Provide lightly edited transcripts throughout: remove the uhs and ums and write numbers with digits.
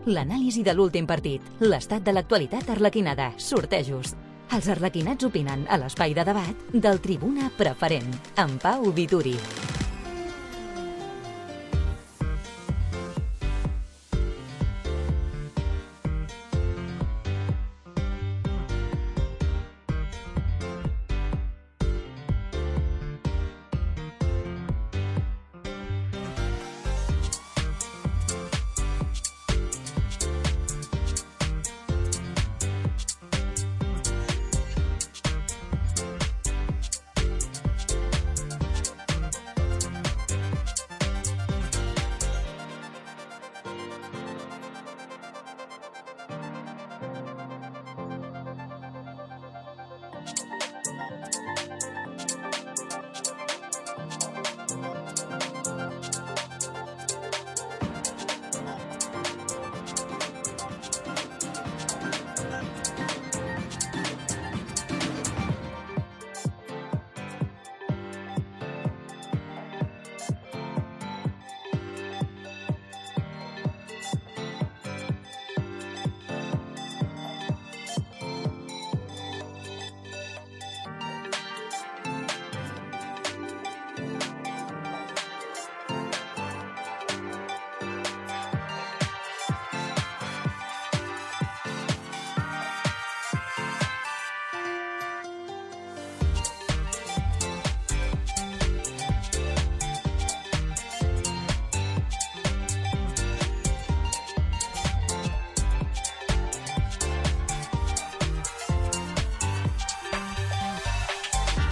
L'anàlisi de l'últim partit, l'estat de l'actualitat arlequinada, sortejos. Els arlequinats opinen a l'espai de debat del Tribuna Preferent, amb Pau Vituri.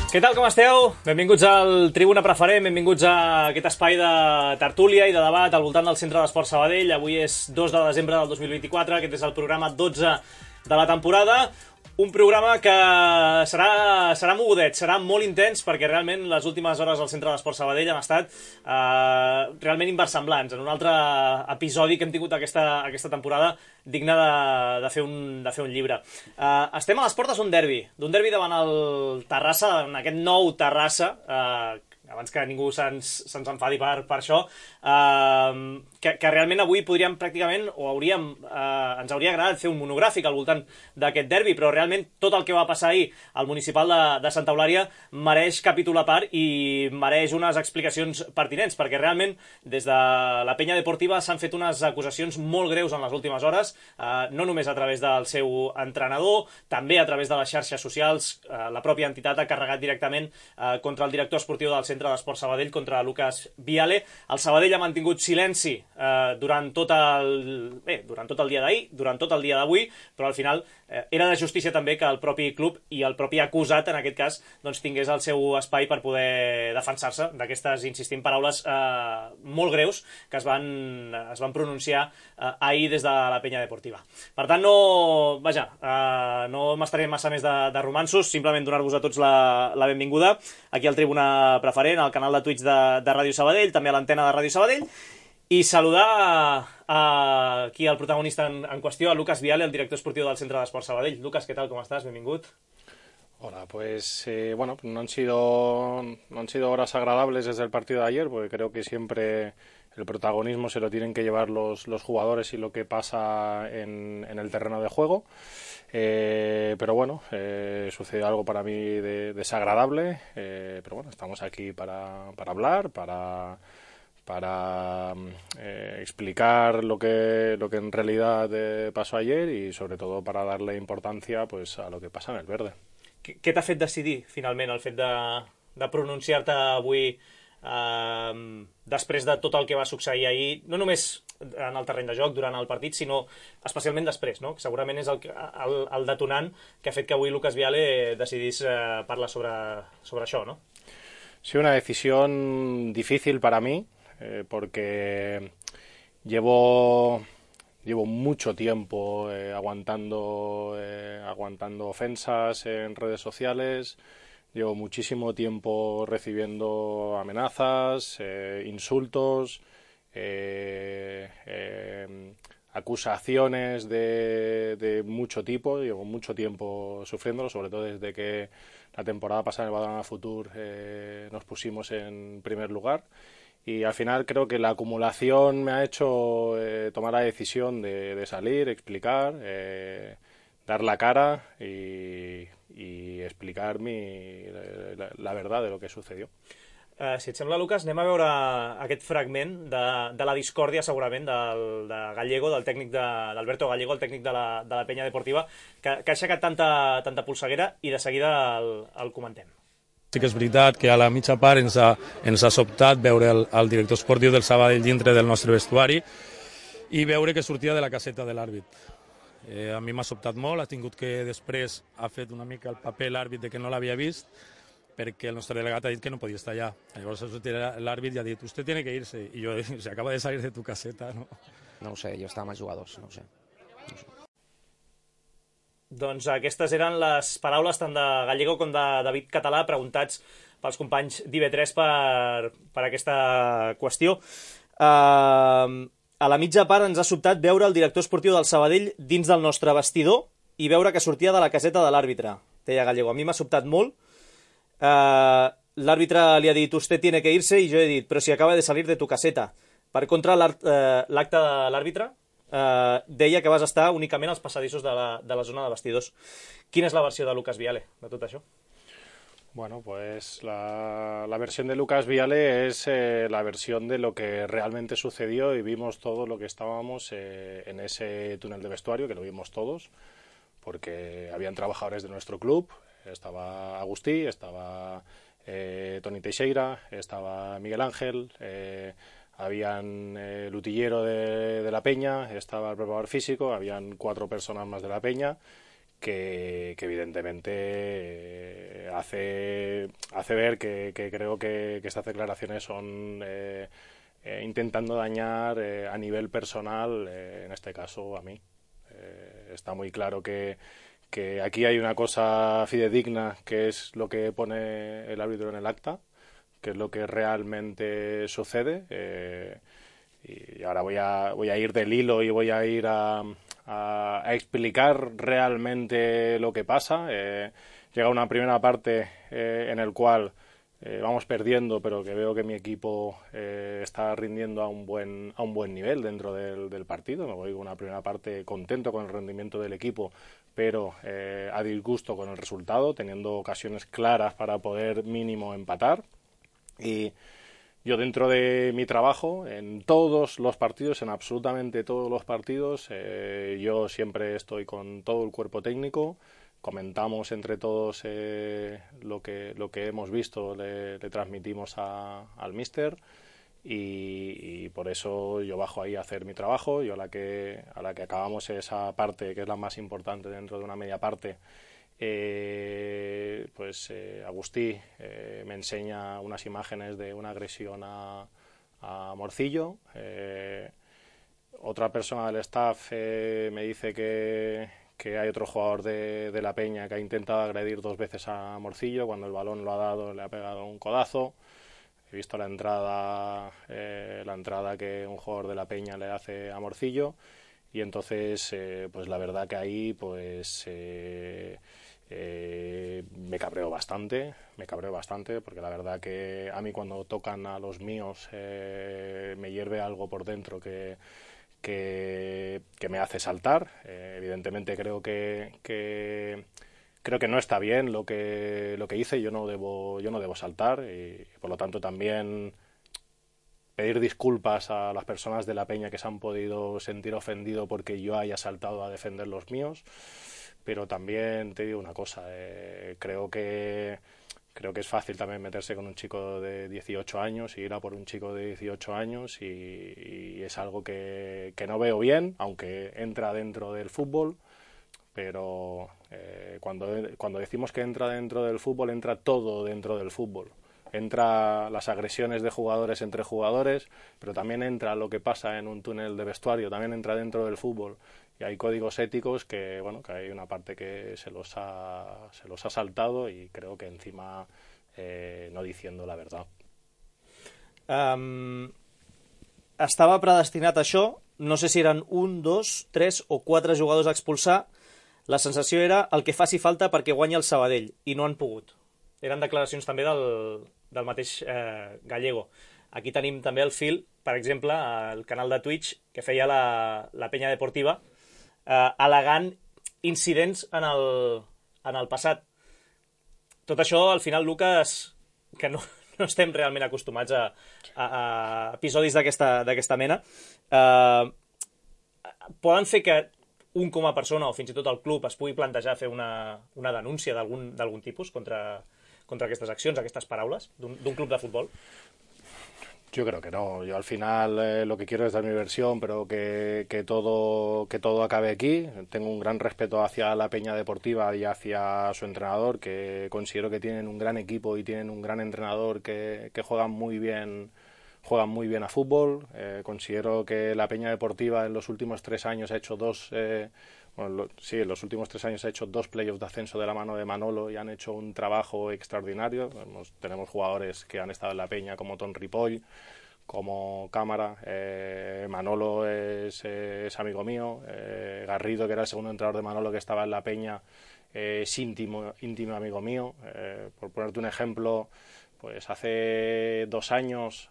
Què tal, com esteu? Benvinguts al Tribuna Preferent, benvinguts a aquest espai de tertúlia i de debat al voltant del Centre d'Esports Sabadell. Avui és 2 de desembre del 2024, aquest és el programa 12 de la temporada. Un programa que serà mogudet, serà molt intens, perquè realment les últimes hores al Centre d'Esports Sabadell han estat realment inversemblants. En un altre episodi que hem tingut aquesta temporada digne de fer un llibre. Estem a les portes d'un derbi davant el Terrassa, en aquest nou Terrassa, abans que ningú se'ns enfadi per això, que realment avui podríem pràcticament, ens hauria agradat fer un monogràfic al voltant d'aquest derbi, però realment tot el que va passar ahir al municipal de Santa Eulària mereix capítol a part i mereix unes explicacions pertinents, perquè realment des de la penya deportiva s'han fet unes acusacions molt greus en les últimes hores, no només a través del seu entrenador, també a través de les xarxes socials. La pròpia entitat ha carregat directament contra el director esportiu del Centre d'Esports Sabadell, contra Lucas Viale. El Sabadell ha mantingut silenci durant tot el dia d'ahir, durant tot el dia d'avui, però al final era de justícia també que el propi club i el propi acusat, en aquest cas, doncs, tingués el seu espai per poder defensar-se d'aquestes, insistim, paraules molt greus que es van pronunciar ahir des de la penya deportiva. Per tant, no m'estaré massa més de romanços, simplement donar-vos a tots la benvinguda aquí al Tribuna Preferent, al canal de Twitch de Ràdio Sabadell, també a l'antena de Ràdio Sabadell, i saludar aquí el protagonista en qüestió, a Lucas Viale, el director esportiu del Centre d'Esports Sabadell. Lucas, ¿qué tal? ¿Cómo estás? Benvingut. Hola, pues no han sido horas agradables desde el partido de ayer, porque creo que siempre el protagonismo se lo tienen que llevar los jugadores y lo que pasa en el terreno de juego. Pero bueno, sucedió algo para mí desagradable, pero bueno, estamos aquí para hablar, para explicar lo que en realidad pasó ayer y sobre todo para darle importancia pues a lo que pasa en el verde. Què t'ha fet decidir finalment el fet de pronunciar-te avui després de tot el que va succeir ahir, no només en el terreny de joc durant el partit, sinó especialment després, no? Que segurament és el detonant que ha fet que avui Lucas Viale decidís parlar sobre això, ¿no? Sí, una decisión difícil para mí, porque llevo mucho tiempo aguantando ofensas en redes sociales, llevo muchísimo tiempo recibiendo amenazas, insultos, acusaciones de mucho tipo. Llevo mucho tiempo sufriéndolo, sobre todo desde que la temporada pasada en el Badalona Futur nos pusimos en primer lugar. y al final creo que la acumulación me ha hecho tomar la decisión de salir, explicar, dar la cara y explicar la verdad de lo que sucedió. Si et sembla, Lucas, anem a veure aquest fragment de la discòrdia, segurament, de Gallego, del tècnic d'Alberto Gallego, el tècnic de la Penya Deportiva, que ha aixecat tanta polseguera, i de seguida el comentem. Sí que és veritat que a la mitja part ens ha sobtat veure el director esportiu del Sabadell dintre del nostre vestuari i veure que sortia de la caseta de l'àrbit. A mi m'ha sobtat molt, ha tingut que després ha fet una mica el paper l'àrbit de que no l'havia vist, perquè el nostre delegat ha dit que no podia estar allà. Llavors l'àrbit ja ha dit, usted tiene que irse, i jo, se acaba de salir de tu caseta, no? No ho sé, jo estava amb els jugadors, no ho sé. Doncs aquestes eren les paraules tant de Gallego com de David Català, preguntats pels companys d'IV3 per aquesta qüestió. A la mitja part ens ha sobtat veure el director esportiu del Sabadell dins del nostre vestidor i veure que sortia de la caseta de l'àrbitre, deia Gallego. A mi m'ha sobtat molt. L'àrbitre li ha dit usted tiene que irse i jo he dit però si acaba de salir de tu caseta. Per contra, l'acte de l'àrbitre deia que vas estar únicament als passadissos de la zona de vestidors. Quina és la versió de Lucas Viale de tot això? Bueno, pues la versión de Lucas Viale es la versión de lo que realmente sucedió y vimos todo lo que estábamos en ese túnel de vestuario, que lo vimos todos, porque habían trabajadores de nuestro club, estaba Agustí, estaba Toni Teixeira, estaba Miguel Ángel, habían el utillero de la Peña, estaba el preparador físico, habían 4 personas más de la Peña, que evidentemente hace ver que creo que estas declaraciones son intentando dañar a nivel personal, en este caso a mí. Está muy claro que aquí hay una cosa fidedigna, que es lo que pone el árbitro en el acta, que es lo que realmente sucede, y ahora voy a ir del hilo y voy a ir a explicar realmente lo que pasa. Llega una primera parte en el cual vamos perdiendo, pero que veo que mi equipo está rindiendo a un buen nivel dentro del partido. Me voy con una primera parte contento con el rendimiento del equipo, pero a disgusto con el resultado, teniendo ocasiones claras para poder mínimo empatar. Y yo, dentro de mi trabajo, en todos los partidos, en absolutamente todos los partidos, yo siempre estoy con todo el cuerpo técnico, comentamos entre todos lo que hemos visto, le transmitimos al míster, y por eso yo bajo ahí a hacer mi trabajo. Yo a la que acabamos esa parte, que es la más importante dentro de una media parte, Agustí me enseña unas imágenes de una agresión a Morcillo. Otra persona del staff me dice que hay otro jugador de la Peña que ha intentado agredir 2 veces a Morcillo. Cuando el balón lo ha dado, le ha pegado un codazo. He visto la entrada que un jugador de la Peña le hace a Morcillo, y entonces pues la verdad que ahí me cabreo bastante, porque la verdad que a mí, cuando tocan a los míos, me hierve algo por dentro que me hace saltar. Evidentemente creo que no está bien lo que hice. Yo no debo saltar, y por lo tanto también pedir disculpas a las personas de la Peña que se han podido sentir ofendido porque yo haya saltado a defender los míos. Pero también te digo una cosa, creo que es fácil también meterse con un chico de 18 años y ir a por un chico de 18 años, y es algo que no veo bien, aunque entra dentro del fútbol. Pero cuando decimos que entra dentro del fútbol, entra todo dentro del fútbol. Entra las agresiones de jugadores entre jugadores, pero también entra lo que pasa en un túnel de vestuario, también entra dentro del fútbol. Y hay códigos éticos que hay una parte que se los ha saltado, y creo que encima no diciendo la verdad. Estava predestinat això, no sé si eren 1, 2, 3 o 4 jugadors a expulsar. La sensació era el que faci falta perquè guanyi el Sabadell, i no han pogut. Eren declaracions també del mateix Gallego. Aquí tenim també el fil, per exemple, el canal de Twitch que feia la Penya Deportiva, al·legant incidents en el passat. Tot això, al final, Lucas, que no estem realment acostumats a episodis d'aquesta mena, poden fer que un com a persona o fins i tot el club es pugui plantejar fer una denúncia d'algun tipus contra aquestes accions, aquestes paraules d'un club de futbol? Yo creo que no. Yo al final lo que quiero es dar mi versión, pero que todo acabe aquí. Tengo un gran respeto hacia la Peña Deportiva y hacia su entrenador, que considero que tienen un gran equipo y tienen un gran entrenador que juegan muy bien a fútbol. Considero que la Peña Deportiva en los últimos 3 años ha hecho en los últimos 3 años ha hecho 2 playoffs de ascenso de la mano de Manolo y han hecho un trabajo extraordinario. Tenemos jugadores que han estado en la Peña como Ton Ripoll, como Cámara. Manolo es amigo mío. Garrido, que era el segundo entrenador de Manolo que estaba en la Peña, es íntimo amigo mío. Por ponerte un ejemplo, pues hace 2 años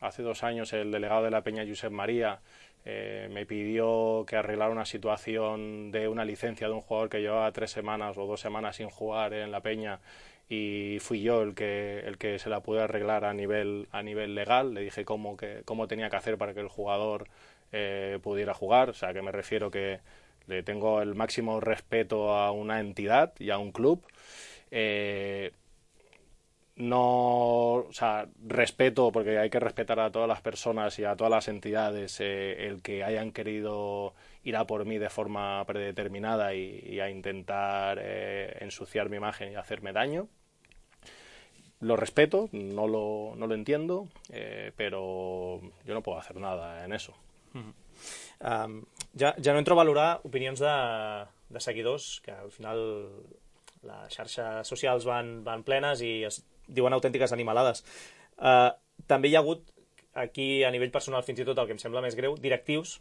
el delegado de la Peña, Josep María, me pidió que arreglara una situación de una licencia de un jugador que llevaba 3 semanas o 2 semanas sin jugar en la Peña, y fui yo el que se la pude arreglar a nivel legal. Le dije cómo tenía que hacer para que el jugador pudiera jugar. O sea, que me refiero que le tengo el máximo respeto a una entidad y a un club. No, o sea, respeto, porque hay que respetar a todas las personas y a todas las entidades, el que hayan querido ir a por mí de forma predeterminada y a intentar ensuciar mi imagen y hacerme daño. Lo respeto, no lo entiendo, pero yo no puedo hacer nada en eso. Ja no entro a valorar opinions de seguidors, que al final les xarxes socials van plenes i es diuen autèntiques animalades. També hi ha hagut, aquí a nivell personal fins i tot el que em sembla més greu, directius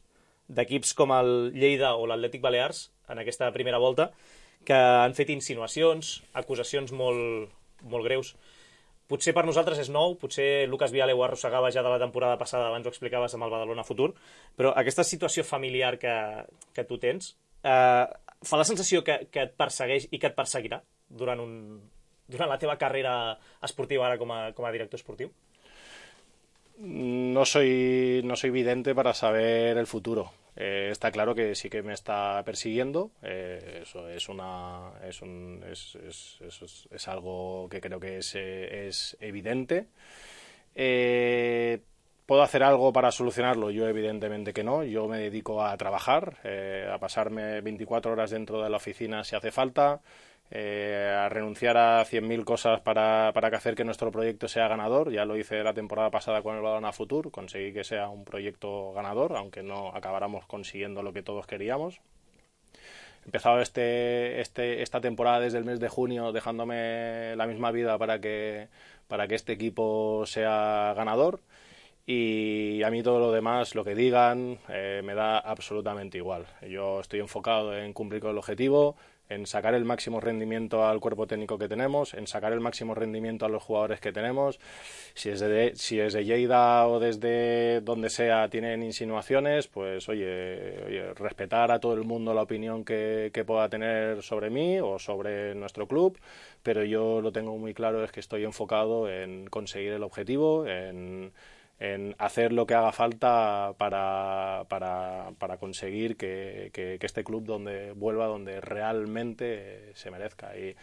d'equips com el Lleida o l'Atlètic Balears en aquesta primera volta que han fet insinuacions, acusacions molt greus. Potser per nosaltres és nou, potser Lucas Viale ho arrossegava ja de la temporada passada, abans ho explicaves amb el Badalona Futur, però aquesta situació familiar que tu tens fa la sensació que et persegueix i que et perseguirà durant la teva carrera esportiva ara com a director esportiu? No soy vidente para saber el futuro. Está claro que sí que me está persiguiendo. Eso es algo que creo que es evidente. ¿Puedo hacer algo para solucionarlo? Yo evidentemente que no. Yo me dedico a trabajar, a pasarme 24 horas dentro de la oficina si hace falta, a renunciar a 100.000 cosas para hacer que nuestro proyecto sea ganador. Ya lo hice la temporada pasada con el Badalona Futur, conseguí que sea un proyecto ganador, aunque no acabáramos consiguiendo lo que todos queríamos. He empezado esta temporada desde el mes de junio dejándome la misma vida para que este equipo sea ganador, y a mí todo lo demás, lo que digan, me da absolutamente igual. Yo estoy enfocado en cumplir con el objetivo, en sacar el máximo rendimiento al cuerpo técnico que tenemos, en sacar el máximo rendimiento a los jugadores que tenemos. Si desde Lleida o desde donde sea tienen insinuaciones, pues oye, respetar a todo el mundo la opinión que pueda tener sobre mí o sobre nuestro club, pero yo lo tengo muy claro, es que estoy enfocado en conseguir el objetivo, en hacer lo que haga falta para conseguir que este club vuelva donde realmente se merezca. Y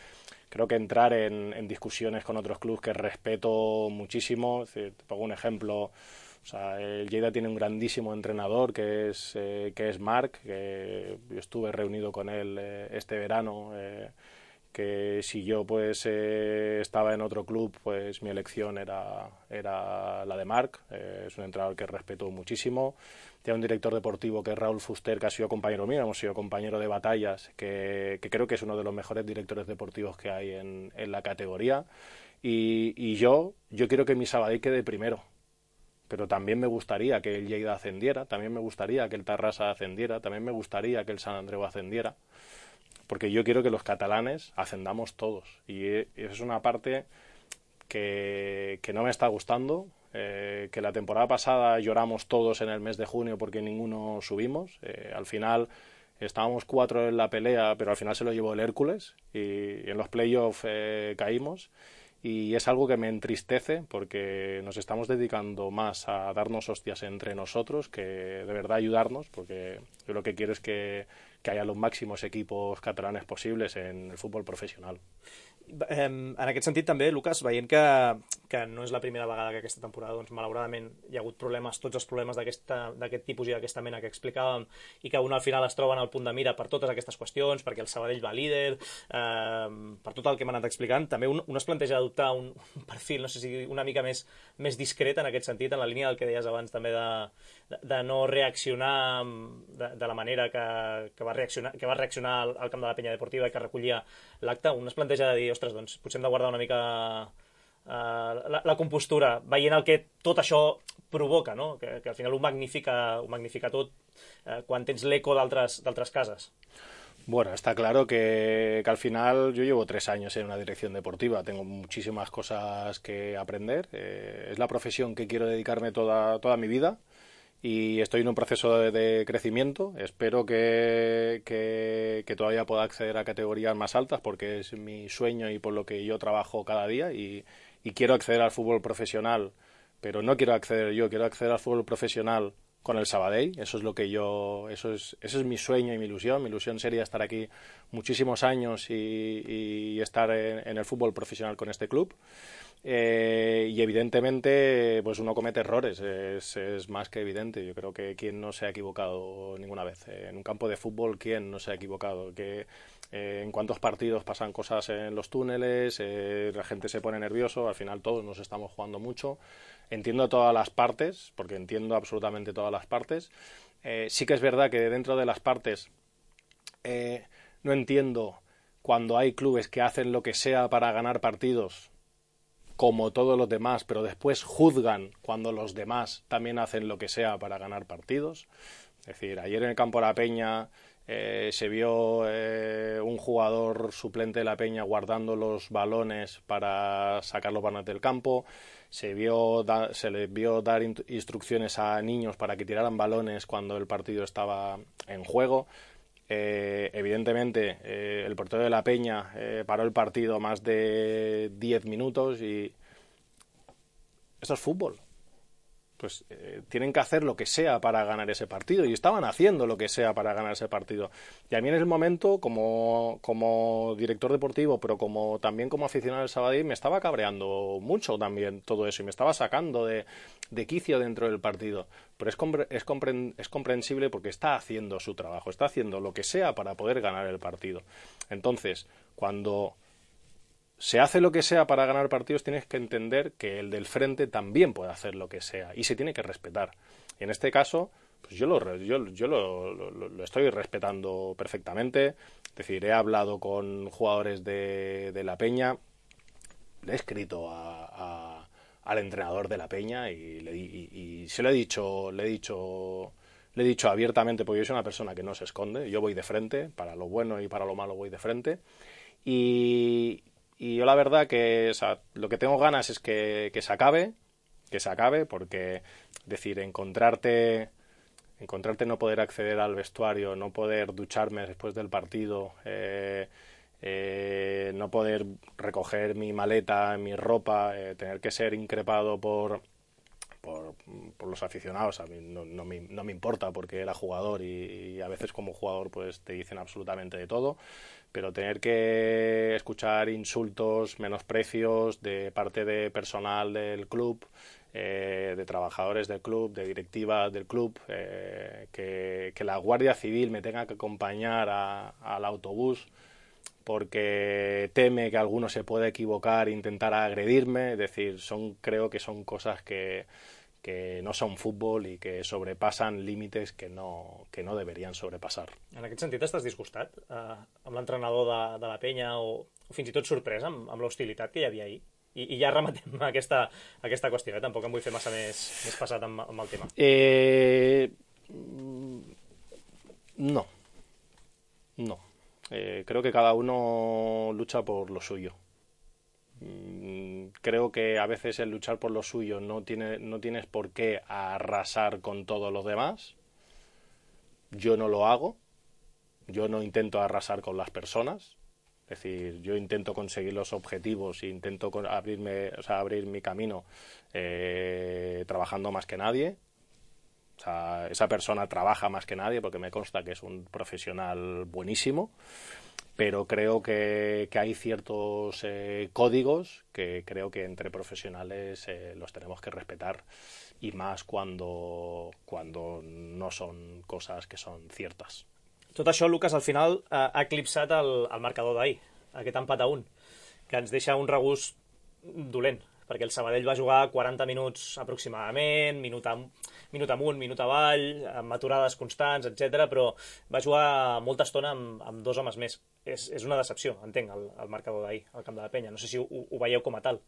creo que entrar en discusiones con otros clubes que respeto muchísimo, te pongo un ejemplo, o sea, el Lleida tiene un grandísimo entrenador que es Marc, que yo estuve reunido con él este verano, que si yo pues estaba en otro club, pues mi elección era la de Marc. Es un entrenador que respeto muchísimo. Tiene un director deportivo que es Raúl Fuster, que ha sido compañero mío, hemos sido compañero de batallas, que creo que es uno de los mejores directores deportivos que hay en la categoría. Y yo quiero que mi Sabadell quede primero, pero también me gustaría que el Lleida ascendiera, también me gustaría que el Tarrasa ascendiera, también me gustaría que el Sant Andreu ascendiera, porque yo quiero que los catalanes ascendamos todos, y es una parte que no me está gustando. que la temporada pasada lloramos todos en el mes de junio porque ninguno subimos. Al final estábamos 4 en la pelea, pero al final se lo llevó el Hércules y en los playoffs caímos. Y es algo que me entristece porque nos estamos dedicando más a darnos hostias entre nosotros que de verdad ayudarnos, porque yo lo que quiero es que haya los máximos equipos catalanes posibles en el fútbol professional. En aquest sentit també, Lucas, veient que no és la primera vegada que aquesta temporada, doncs, malauradament, hi ha hagut problemes, tots els problemes d'aquest tipus i d'aquesta mena que explicàvem, i que un al final es troben al punt de mira per totes aquestes qüestions, perquè el Sabadell va líder, per tot el que hem anat explicant, també un es planteja adoptar un perfil, no sé si una mica més discret en aquest sentit, en la línia del que deies abans també de no reaccionar de la manera que va reaccionar al camp de la Penya Deportiva i que recollia l'acte. Un es planteja de dir, ostres, doncs potser hem de guardar una mica la compostura, veient el que tot això provoca, no? Que al final ho magnifica tot quan tens l'eco d'altres cases. Bueno, está claro que al final yo llevo 3 años en una dirección deportiva, tengo muchísimas cosas que aprender, es la profesión que quiero dedicarme toda mi vida y estoy en un proceso de crecimiento. Espero que todavía pueda acceder a categorías más altas porque es mi sueño y por lo que yo trabajo cada día y quiero acceder al fútbol profesional, pero no quiero acceder yo, quiero acceder al fútbol profesional con el Sabadell. Eso es lo que eso es mi sueño y mi ilusión. Mi ilusión sería estar aquí muchísimos años y estar en el fútbol profesional con este club. Y evidentemente pues uno comete errores, es más que evidente. Yo creo que quien no se ha equivocado ninguna vez en un campo de fútbol, quien no se ha equivocado, que en cuántos partidos pasan cosas en los túneles, la gente se pone nervioso, al final todos nos estamos jugando mucho. Entiendo todas las partes, porque entiendo absolutamente todas las partes. Sí que es verdad que dentro de las partes no entiendo cuando hay clubes que hacen lo que sea para ganar partidos, como todos los demás, pero después juzgan cuando los demás también hacen lo que sea para ganar partidos. Es decir, ayer en el campo de la Peña se vio un jugador suplente de la Peña guardando los balones para sacar los balones del campo. Se les vio dar instrucciones a niños para que tiraran balones cuando el partido estaba en juego. Evidentemente el portero de la Peña paró el partido más de 10 minutos y esto es fútbol. Pues tienen que hacer lo que sea para ganar ese partido y estaban haciendo lo que sea para ganar ese partido. Y a mí en el momento, como director deportivo, pero también como aficionado del Sabadell, me estaba cabreando mucho también todo eso y me estaba sacando de quicio dentro del partido. Pero es comprensible porque está haciendo su trabajo, está haciendo lo que sea para poder ganar el partido. Entonces, cuando se hace lo que sea para ganar partidos, tienes que entender que el del frente también puede hacer lo que sea y se tiene que respetar. Y en este caso, pues yo lo estoy respetando perfectamente. Es decir, he hablado con jugadores de la Peña, le he escrito al entrenador de la Peña y se lo he dicho abiertamente, porque yo soy una persona que no se esconde, yo voy de frente, para lo bueno y para lo malo voy de frente. Y yo la verdad que lo que tengo ganas es que se acabe, porque decir, encontrarte no poder acceder al vestuario, no poder ducharme después del partido, no poder recoger mi maleta, mi ropa, tener que ser increpado por los aficionados, a mí no me importa porque era jugador y a veces como jugador pues te dicen absolutamente de todo, pero tener que escuchar insultos, menosprecios de parte de personal del club, de trabajadores del club, de directivas del club, que la Guardia Civil me tenga que acompañar al autobús porque teme que alguno se pueda equivocar e intentar agredirme. Es decir, creo que son cosas que no son fútbol i que sobrepassen límites que no deberien sobrepassar. En aquest sentit, estàs disgustat amb l'entrenador de la Penya o fins i tot sorprès amb l'hostilitat que hi havia ahir? I ja rematem aquesta qüestió, tampoc em vull fer massa més passat amb el tema. No. Creo que cada uno lucha por lo suyo. creo que a veces el luchar por lo suyo no tienes por qué arrasar con todos los demás. Yo no lo hago, yo no intento arrasar con las personas, es decir, yo intento conseguir los objetivos e intento abrir mi camino trabajando más que nadie. O sea, esa persona trabaja más que nadie porque me consta que es un profesional buenísimo, pero creo que hay ciertos códigos que creo que entre profesionales los tenemos que respetar, y más cuando no son cosas que son ciertas. Tot això, Lucas, al final ha eclipsat el marcador d'ahir, aquest empat a 1, que ens deixa un regust dolent, perquè el Sabadell va jugar 40 minuts aproximadament, minut amunt, minut avall, amb aturades constants, etc, però va jugar molta estona amb 2 homes més. És una decepció, entenc, el marcador d'ahir al camp de la Penya. No sé si ho veieu com a tal.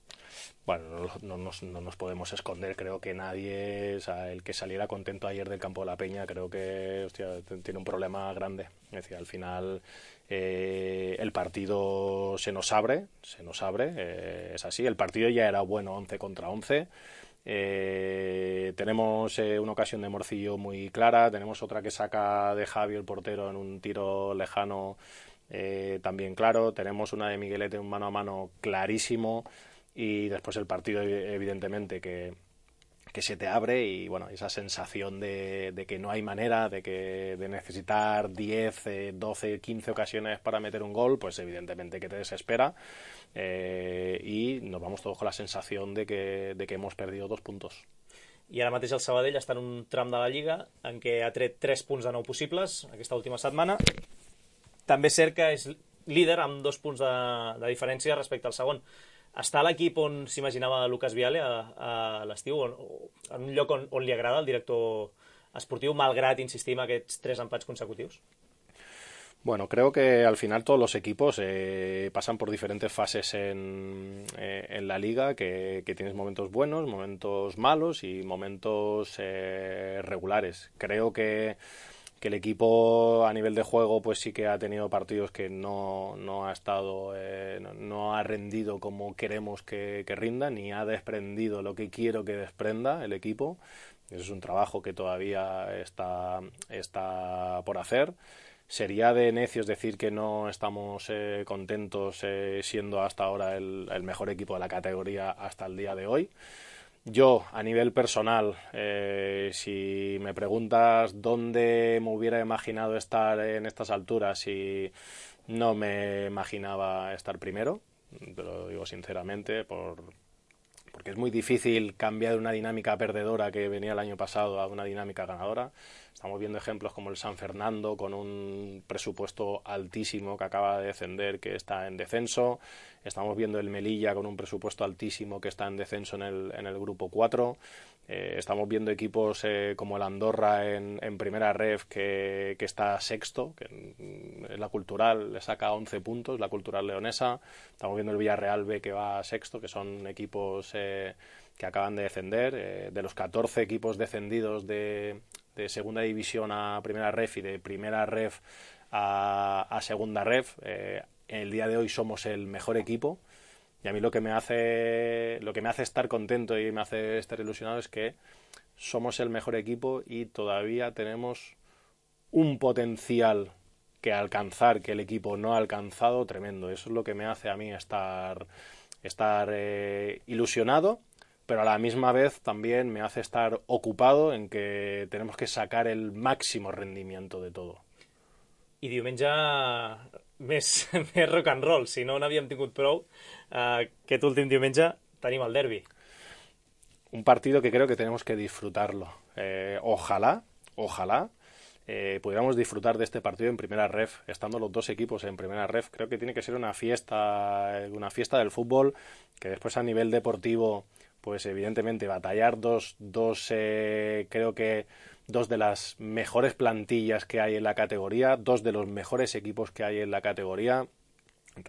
Bueno, no nos podemos esconder. Creo que nadie, o sea, el que saliera contento ayer del campo de la Peña, creo que tiene un problema grande. Es decir, al final el partido se nos abre, es así. El partido ya era bueno 11 contra 11. Tenemos una ocasión de Morcillo muy clara, tenemos otra que saca de Javi el portero en un tiro lejano también claro, tenemos una de Miguelete, un mano a mano clarísimo, y después el partido evidentemente que se te abre, y bueno, esa sensación de que no hay manera, de necesitar 10, 12, 15 ocasiones para meter un gol, pues evidentemente que te desespera, y nos vamos todos con la sensación de que hemos perdido 2 puntos. I ara mateix el Sabadell està en un tram de la Lliga en què ha tret 3 punts de 9 possibles aquesta última setmana. També és cert que és líder amb 2 punts de diferència respecte al segon. Està a l'equip on s'imaginava Lucas Viale a l'estiu, en un lloc on li agrada el director esportiu, malgrat insistir en aquests 3 empats consecutius? Bueno, creo que al final todos los equipos pasan por diferentes fases en la liga, que tienes momentos buenos, momentos malos y momentos regulares. Creo que el equipo a nivel de juego pues sí que ha tenido partidos que no ha estado, no ha rendido como queremos que rinda, ni ha desprendido lo que quiero que desprenda el equipo. Eso es un trabajo que todavía está por hacer. Sería de necios decir que no estamos contentos siendo hasta ahora el mejor equipo de la categoría hasta el día de hoy. Yo, a nivel personal, si me preguntas dónde me hubiera imaginado estar en estas alturas, y no me imaginaba estar primero, te lo digo sinceramente, porque es muy difícil cambiar de una dinámica perdedora que venía el año pasado a una dinámica ganadora. Estamos viendo ejemplos como el San Fernando, con un presupuesto altísimo, que acaba de descender, que está en descenso. Estamos viendo el Melilla con un presupuesto altísimo, que está en descenso en el grupo 4. Estamos viendo equipos como el Andorra en primera ref, que está sexto, que en la Cultural le saca 11 puntos, la Cultural leonesa. Estamos viendo el Villarreal B, que va sexto, que son equipos que acaban de descender. De los 14 equipos descendidos de segunda división a primera ref y de primera ref a segunda ref, el día de hoy somos el mejor equipo. Y a mí lo que me hace estar contento y me hace estar ilusionado es que somos el mejor equipo y todavía tenemos un potencial que alcanzar que el equipo no ha alcanzado tremendo. Eso es lo que me hace a mí estar ilusionado, pero a la misma vez también me hace estar ocupado en que tenemos que sacar el máximo rendimiento de todo. I diumenge més rock and roll, si no n'havíem tingut prou, aquest últim diumenge tenim el derbi. Un partido que creo que tenemos que disfrutarlo. Ojalá pudiéramos disfrutar de este partido en primera ref, estando los dos equipos en primera ref. Creo que tiene que ser una fiesta del fútbol, que después a nivel deportivo, pues evidentemente batallar creo que dos de las mejores plantillas que hay en la categoría, 2 de los mejores equipos que hay en la categoría.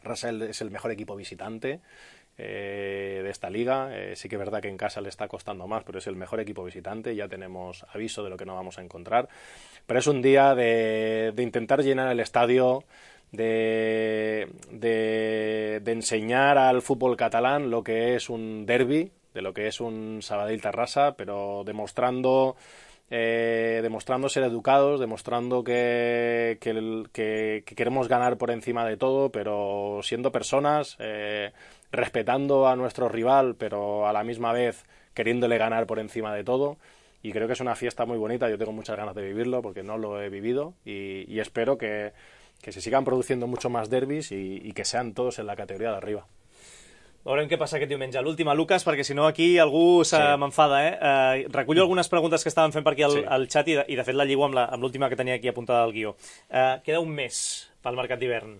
Rasa es el mejor equipo visitante de esta liga. Sí que es verdad que en casa le está costando más, pero es el mejor equipo visitante. Ya tenemos aviso de lo que no vamos a encontrar. Pero es un día de intentar llenar el estadio, enseñar al fútbol catalán lo que es un derbi, de lo que es un Sabadell-Terrassa, pero demostrando ser educados, demostrando que queremos ganar por encima de todo, pero siendo personas, respetando a nuestro rival, pero a la misma vez queriéndole ganar por encima de todo. Y creo que es una fiesta muy bonita. Yo tengo muchas ganas de vivirlo porque no lo he vivido y espero que se sigan produciendo mucho más derbis i que sean todos en la categoria d'arriba. Veurem què passa aquest diumenge. L'última, Lucas, perquè si no aquí algú m'enfada. Recullo algunes preguntes que estaven fent per aquí al xat i de fet la lligo amb l'última que tenia aquí apuntada al guió. Queda un mes pel mercat d'hivern.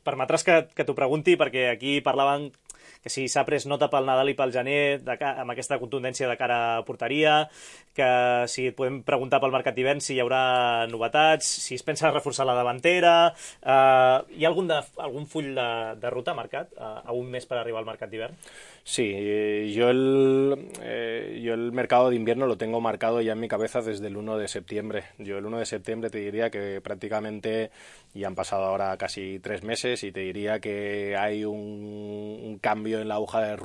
Permetràs que t'ho pregunti perquè aquí parlaven que si s'ha pres nota pel Nadal i pel gener amb aquesta contundència de cara a porteria, que si et podem preguntar pel mercat d'hivern si hi haurà novetats, si es pensa reforçar la davantera. Hi ha algun full de ruta marcat a un mes per arribar al mercat d'hivern? Sí, yo el mercado de invierno lo tengo marcado ya en mi cabeza desde el 1 de septiembre. Yo el 1 de septiembre te diría que prácticamente ya han pasado ahora casi 3 meses y te diría que hay un cambio en la hoja de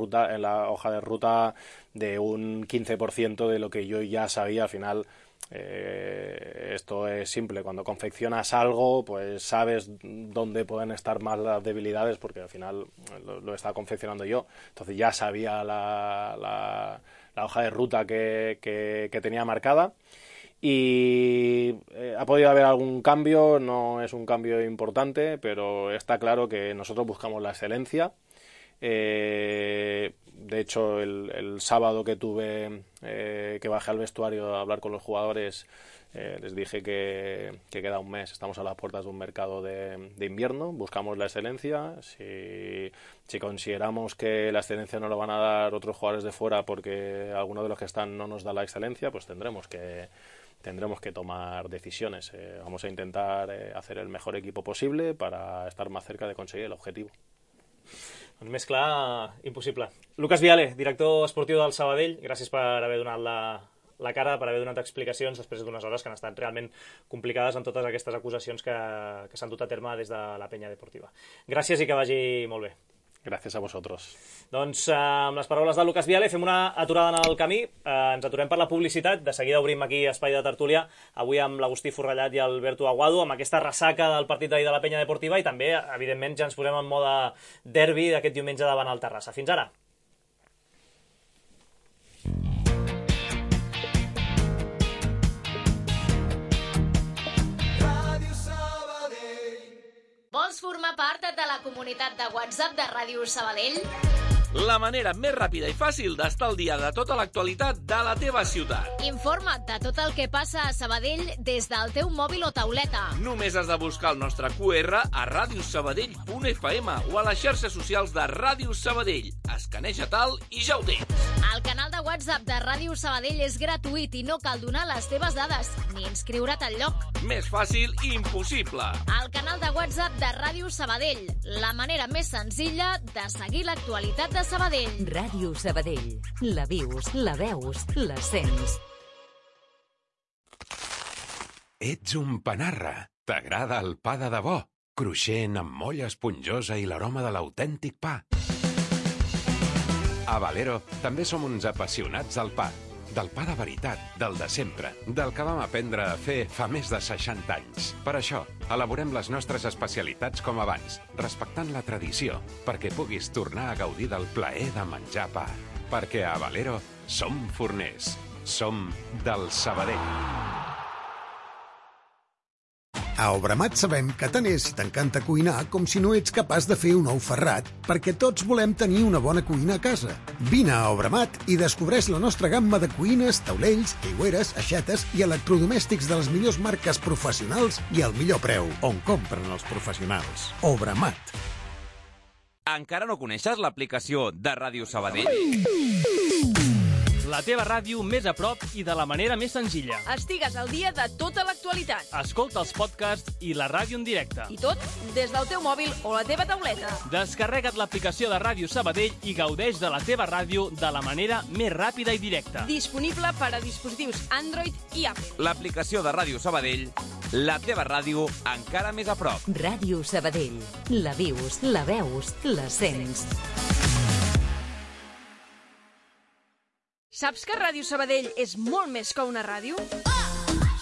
ruta de un 15% de lo que yo ya sabía. Al final esto es simple, cuando confeccionas algo pues sabes dónde pueden estar más las debilidades porque al final lo estaba confeccionando yo, entonces ya sabía la hoja de ruta que tenía marcada y ha podido haber algún cambio, no es un cambio importante, pero está claro que nosotros buscamos la excelencia. De hecho, el sábado que bajé al vestuario a hablar con los jugadores, les dije que queda un mes, estamos a las puertas de un mercado de invierno, buscamos la excelencia. Si consideramos que la excelencia no lo van a dar otros jugadores de fuera porque alguno de los que están no nos da la excelencia, pues tendremos que tomar decisiones. Vamos a intentar hacer el mejor equipo posible para estar más cerca de conseguir el objetivo. Doncs més clar, impossible. Lucas Viale, director esportiu del Sabadell, gràcies per haver donat la cara, per haver donat explicacions després d'unes hores que han estat realment complicades amb totes aquestes acusacions que s'han dut a terme des de la penya deportiva. Gràcies i que vagi molt bé. Gràcies a vosaltres. Doncs amb les paraules de Lucas Viale fem una aturada en el camí, ens aturem per la publicitat, de seguida obrim aquí espai de tertúlia, avui amb l'Agustí Forrellat i Alberto Aguado, amb aquesta ressaca del partit d'ahir de la penya deportiva i també, evidentment, ja ens posem en mode derbi d'aquest diumenge davant el Terrassa. Fins ara! Vols formar part de la comunitat de WhatsApp de Ràdio Sabadell? La manera més ràpida i fàcil d'estar al dia de tota l'actualitat de la teva ciutat. Informa't de tot el que passa a Sabadell des del teu mòbil o tauleta. Només has de buscar el nostre QR a radiosabadell.fm o a les xarxes socials de Ràdio Sabadell. Escaneja tal i ja ho tens. El canal de WhatsApp de Ràdio Sabadell és gratuït i no cal donar les teves dades ni inscriure't al lloc. Més fàcil i impossible. El canal de WhatsApp de Ràdio Sabadell, la manera més senzilla de seguir l'actualitat de Sabadell. Ràdio Sabadell. La vius, la veus, la sents. Ets un panarra. T'agrada el pa de debò? Cruixent, amb molla esponjosa i l'aroma de l'autèntic pa. A Valero també som uns apassionats del pa. Del pa de veritat, del de sempre, del que vam aprendre a fer fa més de 60 anys. Per això, elaborem les nostres especialitats com abans, respectant la tradició, perquè puguis tornar a gaudir del plaer de menjar pa. Perquè a Valero som forners, som del Sabadell. A Obramat sabem que tant és si t'encanta cuinar com si no ets capaç de fer un ou ferrat, perquè tots volem tenir una bona cuina a casa. Vine a Obramat i descobreix la nostra gamma de cuines, taulells, aigüeres, aixetes i electrodomèstics de les millors marques professionals i al millor preu, on compren els professionals. Obramat. Encara no coneixes l'aplicació de Ràdio Sabadell? la teva ràdio més a prop i de la manera més senzilla. Estigues al dia de tota l'actualitat. Escolta els podcasts i la ràdio en directe. I tot des del teu mòbil o la teva tauleta. Descarrega't l'aplicació de Ràdio Sabadell i gaudeix de la teva ràdio de la manera més ràpida i directa. Disponible per a dispositius Android i Apple. L'aplicació de Ràdio Sabadell, la teva ràdio encara més a prop. Ràdio Sabadell. La vius, la veus, la sents. Saps que Ràdio Sabadell és molt més que una ràdio?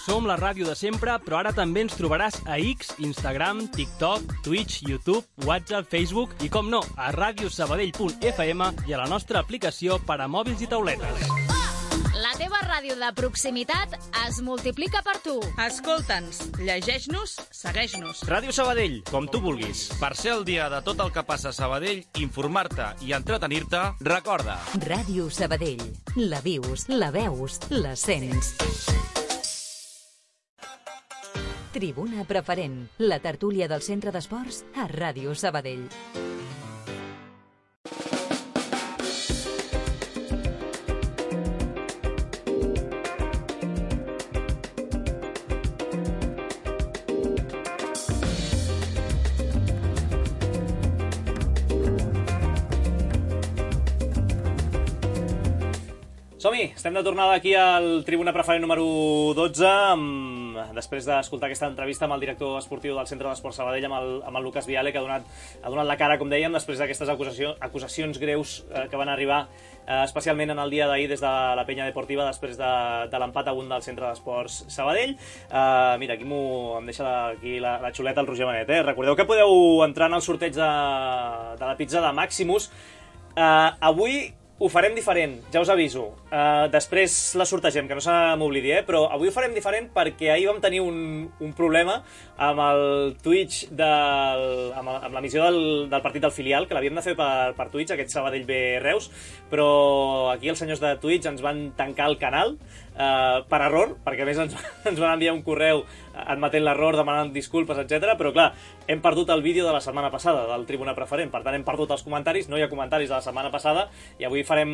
Som la ràdio de sempre, però ara també ens trobaràs a X, Instagram, TikTok, Twitch, YouTube, WhatsApp, Facebook i, com no, a radiosabadell.fm i a la nostra aplicació per a mòbils i tauletes. La teva ràdio de proximitat es multiplica per tu. Escolta'ns, llegeix-nos, segueix-nos. Ràdio Sabadell, com tu vulguis. Per ser al dia de tot el que passa a Sabadell, informar-te i entretenir-te, recorda. Ràdio Sabadell. La vius, la veus, la sents. Tribuna Preferent, la tertúlia del Centre d'Esports a Ràdio Sabadell. Som-hi, estem de tornada aquí al Tribuna Preferent número 12, després d'escoltar aquesta entrevista amb el director esportiu del Centre d'Esports Sabadell, amb el Lucas Viale, que ha donat la cara, com dèiem, després d'aquestes acusacions greus que van arribar especialment en el dia d'ahir des de la penya deportiva després de l'empat a 1 del Centre d'Esports Sabadell. Mira, aquí em deixa aquí la xuleta el Roger Benet. Recordeu que podeu entrar en el sorteig de la pizza de Maximus. Avui ho farem diferent, ja us aviso. Després la sortegem, que no se m'oblidi, però avui ho farem diferent perquè ahir vam tenir un problema amb el Twitch, amb l'emissió del partit del filial, que l'havíem de fer per Twitch, aquest Sabadell B Reus, però aquí els senyors de Twitch ens van tancar el canal per error, perquè a més ens van enviar un correu admetent l'error, demanant disculpes, etc. Però clar, hem perdut el vídeo de la setmana passada del Tribuna Preferent, per tant hem perdut els comentaris, no hi ha comentaris de la setmana passada i avui farem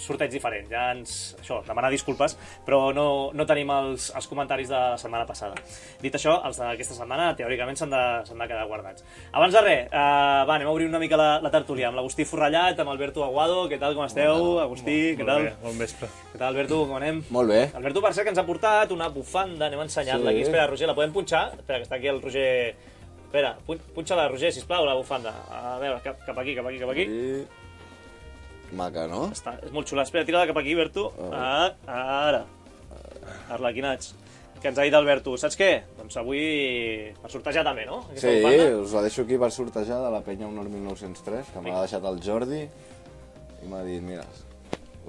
sorteig diferent. Ja això, demanar disculpes, però no tenim els comentaris de la setmana passada. Dit això, els d'aquesta setmana teòricament s'han de quedar guardats. Abans de res, anem a obrir una mica la tertúlia amb l'Agustí Forrellat, amb Alberto Aguado. Què tal, com esteu? Agustí, què tal? Bon vespre. Què tal, Alberto, com anem? Molt bé. Alberto, per cert, que ens ha portat una bufanda, anem ensenyant-la aquí. Espera, Roger, la podem punxar? Espera, que està aquí el Roger... Espera, punxa-la, Roger, sisplau, la bufanda. A veure, cap aquí. Maca, no? És molt xula. Espera, tira-la cap aquí, Berto. Ara. Arlequinats. Que ens ha dit Alberto. Saps què? Doncs avui per sortejar també, no? Sí, us la deixo aquí per sortejar de la penya Honor 1903, que m'ha deixat el Jordi i m'ha dit, mira,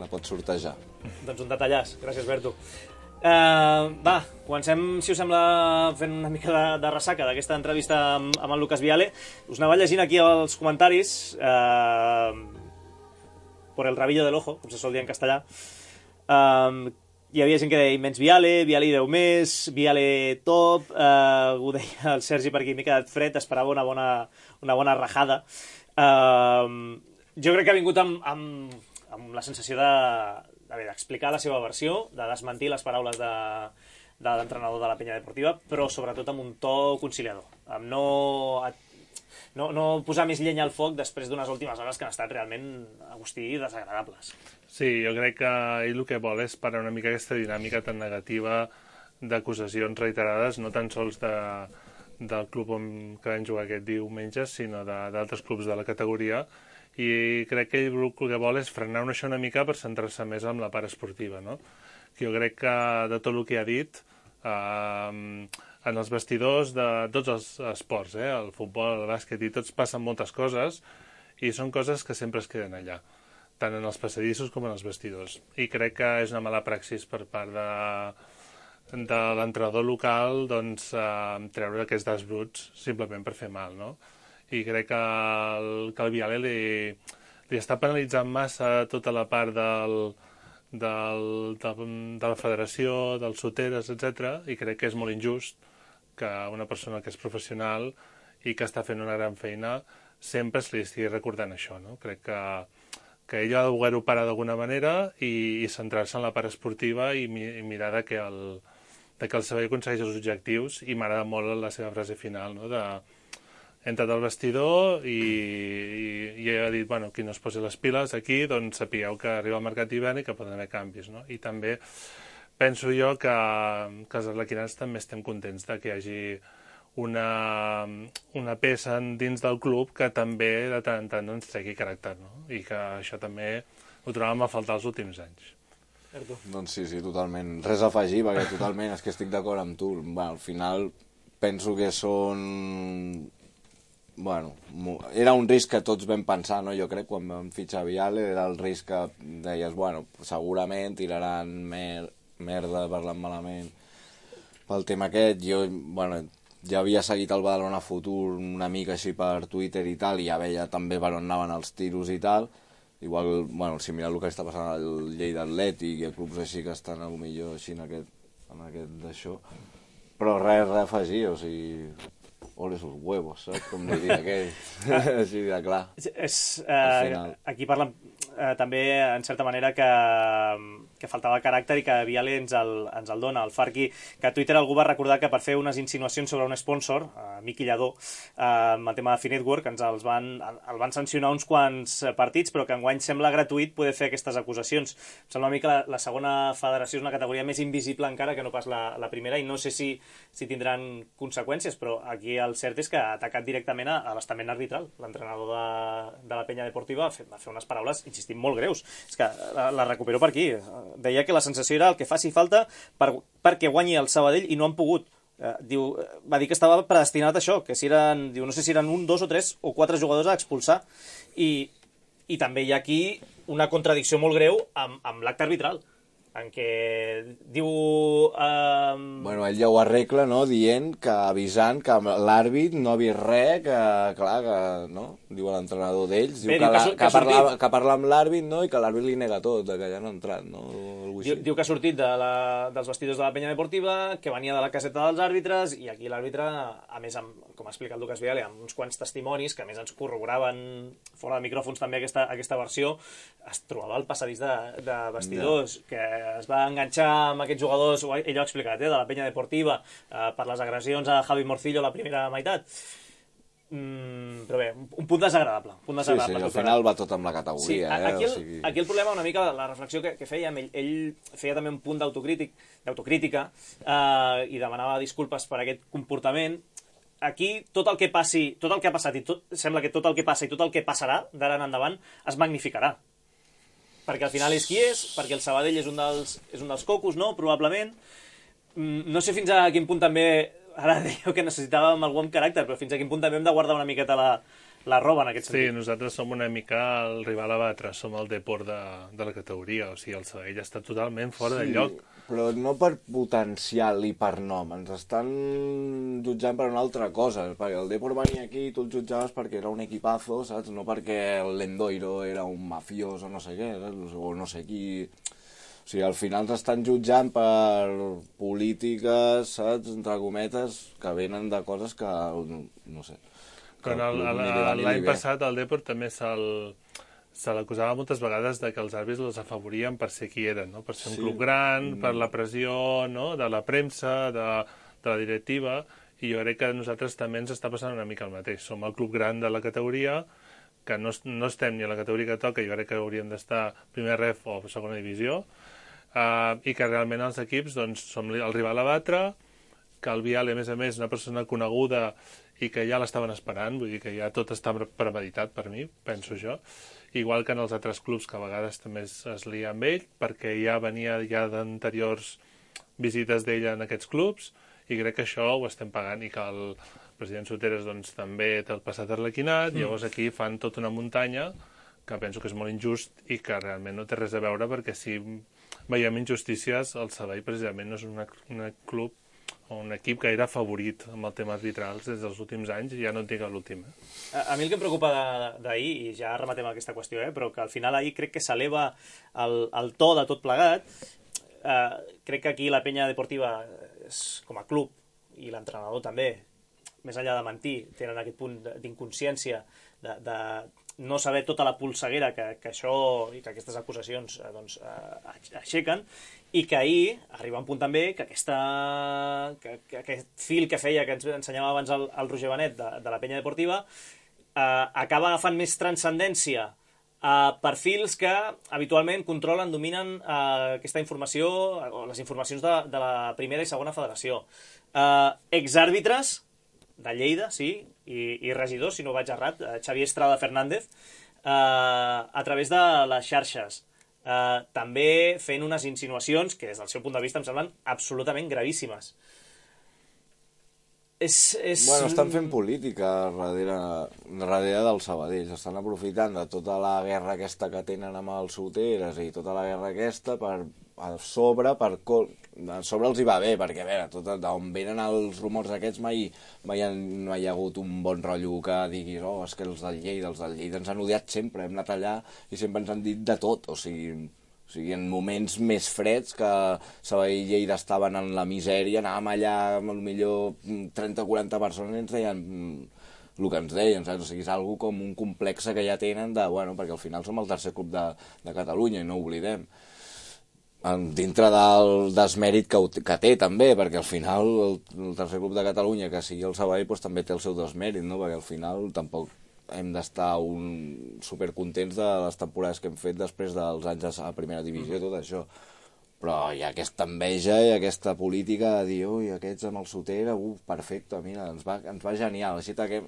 la pots sortejar. Doncs un detallàs. Gràcies, Berto. Va, comencem, si us sembla, fent una mica de ressaca d'aquesta entrevista amb el Lucas Viale. Us anava llegint aquí els comentaris por el rabillo del ojo, com se sol dir en castellà. Hi havia gent que deia immens Viale i Déu més, Viale top, ho deia el Sergi per aquí, m'he quedat fred, esperava una bona rajada. Jo crec que ha vingut amb la sensació d'explicar la seva versió, de desmentir les paraules de l'entrenador de la penya deportiva, però sobretot amb un to conciliador, amb no posar més llenya al foc després d'unes últimes hores que han estat realment, Agustí, desagradables. Sí, jo crec que ell el que vol és parar una mica aquesta dinàmica tan negativa d'acusacions reiterades, no tan sols del club que vam jugar aquest diumenge, sinó d'altres clubs de la categoria, i crec que ell el que vol és frenar això una mica per centrar-se més en la part esportiva, no? Jo crec que de tot el que ha dit, en els vestidors de tots els esports, el futbol, el bàsquet i tots, passen moltes coses i són coses que sempre es queden allà, tant en els passadissos com en els vestidors. I crec que és una mala praxis per part de l'entrenador local treure aquests das bruts simplement per fer mal, no? I crec que el Viale li està penalitzant massa tota la part de la federació, dels soteres, etc. I crec que és molt injust que una persona que és professional i que està fent una gran feina sempre se li estigui recordant això, no? Crec que que ell ha de voler-ho parar d'alguna manera i centrar-se en la part esportiva i mirar que el Sabadell aconsegueix els objectius, i m'agrada molt la seva frase final, no? He entrat al vestidor i ha dit, bueno, qui no es posi les piles aquí, doncs sapigueu que arriba el mercat d'hivern i que poden haver canvis, no? I també penso jo que els arlequinats també estem contents de que hi hagi una peça dins del club que també de tant en tant ens tregui caràcter, no? I que això també ho trobàvem a faltar els últims anys. Doncs sí, totalment. Res a afegir, perquè totalment és que estic d'acord amb tu. Al final penso que són... Bueno, era un risc que tots vam pensar, no? Jo crec, quan vam fitxar Viale, era el risc que deies, bueno, segurament tiraran merda, parlant malament pel tema aquest. Jo, bueno, ja havia seguit el Badalona Futur una mica així per Twitter i tal, i ja veia també per on anaven els tiros i tal. Igual, bueno, si mirar el que està passant al Lleida Atlètic i a clubs així que estan potser així en aquest d'això, però res a afegir, o sigui, ole sus huevos, saps? Com diria aquell, així de clar. Aquí parlen també, en certa manera, que faltava caràcter i que Viale ens el dona. El Farqui, que a Twitter algú va recordar que per fer unes insinuacions sobre un sponsor, Miqui Lladó, amb el tema de Finetwork, el van sancionar uns quants partits, però que enguany sembla gratuït poder fer aquestes acusacions. Em sembla a mi que la segona federació és una categoria més invisible encara que no pas la primera, i no sé si tindran conseqüències, però aquí el cert és que ha atacat directament a l'estament arbitral. L'entrenador de la Penya Deportiva va fer unes paraules, insistim, molt greus. És que la recupero per aquí. Deia que la sensació era el que faci falta perquè guanyi el Sabadell i no han pogut. Va dir que estava predestinat a això, que si eren, no sé si eren 1, 2 o 3 o 4 jugadors a expulsar. I també hi ha aquí una contradicció molt greu amb l'acte arbitral, en què diu... Bueno, ell ja ho arregla, no?, dient que, avisant que l'àrbit no ha vist res, que, clar, que, no?, diu l'entrenador d'ells, diu que parla amb l'àrbit, no?, i que l'àrbit li nega tot, que ja no ha entrat, no? Diu que ha sortit dels vestidors de la Penya Deportiva, que venia de la caseta dels àrbitres, i aquí l'àrbitre, a més, com ha explicat Lucas Viale, amb uns quants testimonis, que a més ens corroboraven fora de micròfons també aquesta versió, es trobava al passadís de vestidors, que es va enganxar amb aquests jugadors, ell ho ha explicat, de la Penya Deportiva, per les agressions a Javi Morcillo a la primera meitat. Però bé, un punt desagradable. Sí, al final va tot amb la categoria. Aquí el problema, una mica, la reflexió que fèiem, ell feia també un punt d'autocrítica i demanava disculpes per aquest comportament. Aquí tot el que passi, tot el que ha passat, i sembla que tot el que passa i tot el que passarà d'ara en endavant es magnificarà. Perquè al final és qui és, perquè el Sabadell és un dels cocos, no?, probablement. No sé fins a quin punt també, ara dèieu que necessitàvem algú amb caràcter, però fins a quin punt també hem de guardar una miqueta la roba en aquest sentit. Sí, nosaltres som una mica el rival a batre, som el Depor de la categoria, o sigui, el Sabadell està totalment fora de lloc. Però no per potencial i per nom, ens estan jutjant per una altra cosa, perquè el Depor venia aquí i tu el jutjaves perquè era un equipazo, saps? No perquè el Lendoiro era un mafiós o no sé què, o no sé qui... O sigui, al final ens estan jutjant per polítiques, saps, entre cometes, que venen de coses que, no sé... L'any passat el Depor també se l'acusava moltes vegades de que els àrbitres els afavorien per ser qui eren, no? Per ser un club gran, per la pressió, no?, de la premsa, de la directiva, i jo crec que a nosaltres també ens està passant una mica el mateix. Som el club gran de la categoria, que no estem ni a la categoria que toca, jo crec que hauríem d'estar primer ref o segona divisió, i que realment els equips doncs, som el rival a batre, que el Viale, a més, una persona coneguda i que ja l'estaven esperant, vull dir que ja tot està premeditat per mi, penso jo, igual que en els altres clubs que a vegades també es lia amb ell, perquè ja venia d'anteriors visites d'ell en aquests clubs, i crec que això ho estem pagant, i que el president Soteres doncs, també té el passat arlequinat, llavors aquí fan tota una muntanya que penso que és molt injust i que realment no té res a veure, perquè si veiem injustícies, el Sabadell precisament no és un club o un equip que era favorit amb el tema arbitrals des dels últims anys, i ja no en tinc l'últim. A mi el que em preocupa d'ahir, i ja rematem aquesta qüestió, però que al final ahir crec que s'eleva el to de tot plegat. Crec que aquí la Penya Deportiva, com a club, i l'entrenador també, més enllà de mentir, tenen aquest punt d'inconsciència no saber tota la polseguera que això i que aquestes acusacions aixequen, i que ahir arriba un punt també que aquest fil que feia, que ens ensenyava abans el Roger Benet de la Penya Deportiva, acaba agafant més transcendència a perfils que habitualment controlen, dominen aquesta informació, o les informacions de la primera i segona federació. Exàrbitres de Lleida, sí, i regidors, si no vaig errat, Xavier Estrada Fernández, a través de les xarxes, també fent unes insinuacions que des del seu punt de vista em semblen absolutament gravíssimes. Bueno, estan fent política darrere del Sabadell, s'estan aprofitant de tota la guerra aquesta que tenen amb els soteres i tota la guerra aquesta a sobre els hi va bé, perquè a veure, d'on venen els rumors aquests mai no hi ha hagut un bon rotllo que diguis, és que els del Lleida ens han odiat sempre, hem anat allà i sempre ens han dit de tot, o sigui, en moments més freds que Sabadell i Lleida estaven en la misèria, anàvem allà amb potser 30 o 40 persones i ens deien el que ens deien, saps? O sigui, és algo com un complex que ja tenen perquè al final som el tercer club de Catalunya i no ho oblidem. Dintre del desmèrit que té també, perquè al final el tercer club de Catalunya, que sigui el Sabadell, també té el seu desmèrit, no? Perquè al final tampoc hem d'estar supercontents de les temporades que hem fet després dels anys a primera divisió, tot això. Però hi ha aquesta enveja i aquesta política de dir, ui, aquests amb el Sotera, perfecte, mira, ens va genial, així que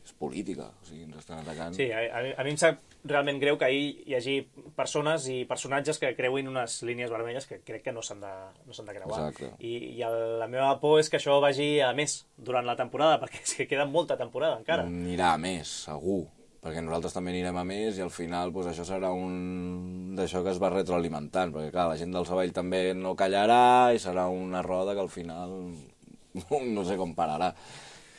és política, o sigui, ens estan atacant. Sí, a mi em sap realment greu que ahir hi hagi persones i personatges que creuin unes línies vermelles que crec que no s'han de creuar. Exacte. I la meva por és que això vagi a més durant la temporada, perquè és que queda molta temporada encara. Anirà a més, segur, perquè nosaltres també anirem a més i al final això serà d'això que es va retroalimentant, perquè clar, la gent del Sabadell també no callarà i serà una roda que al final no sé com pararà.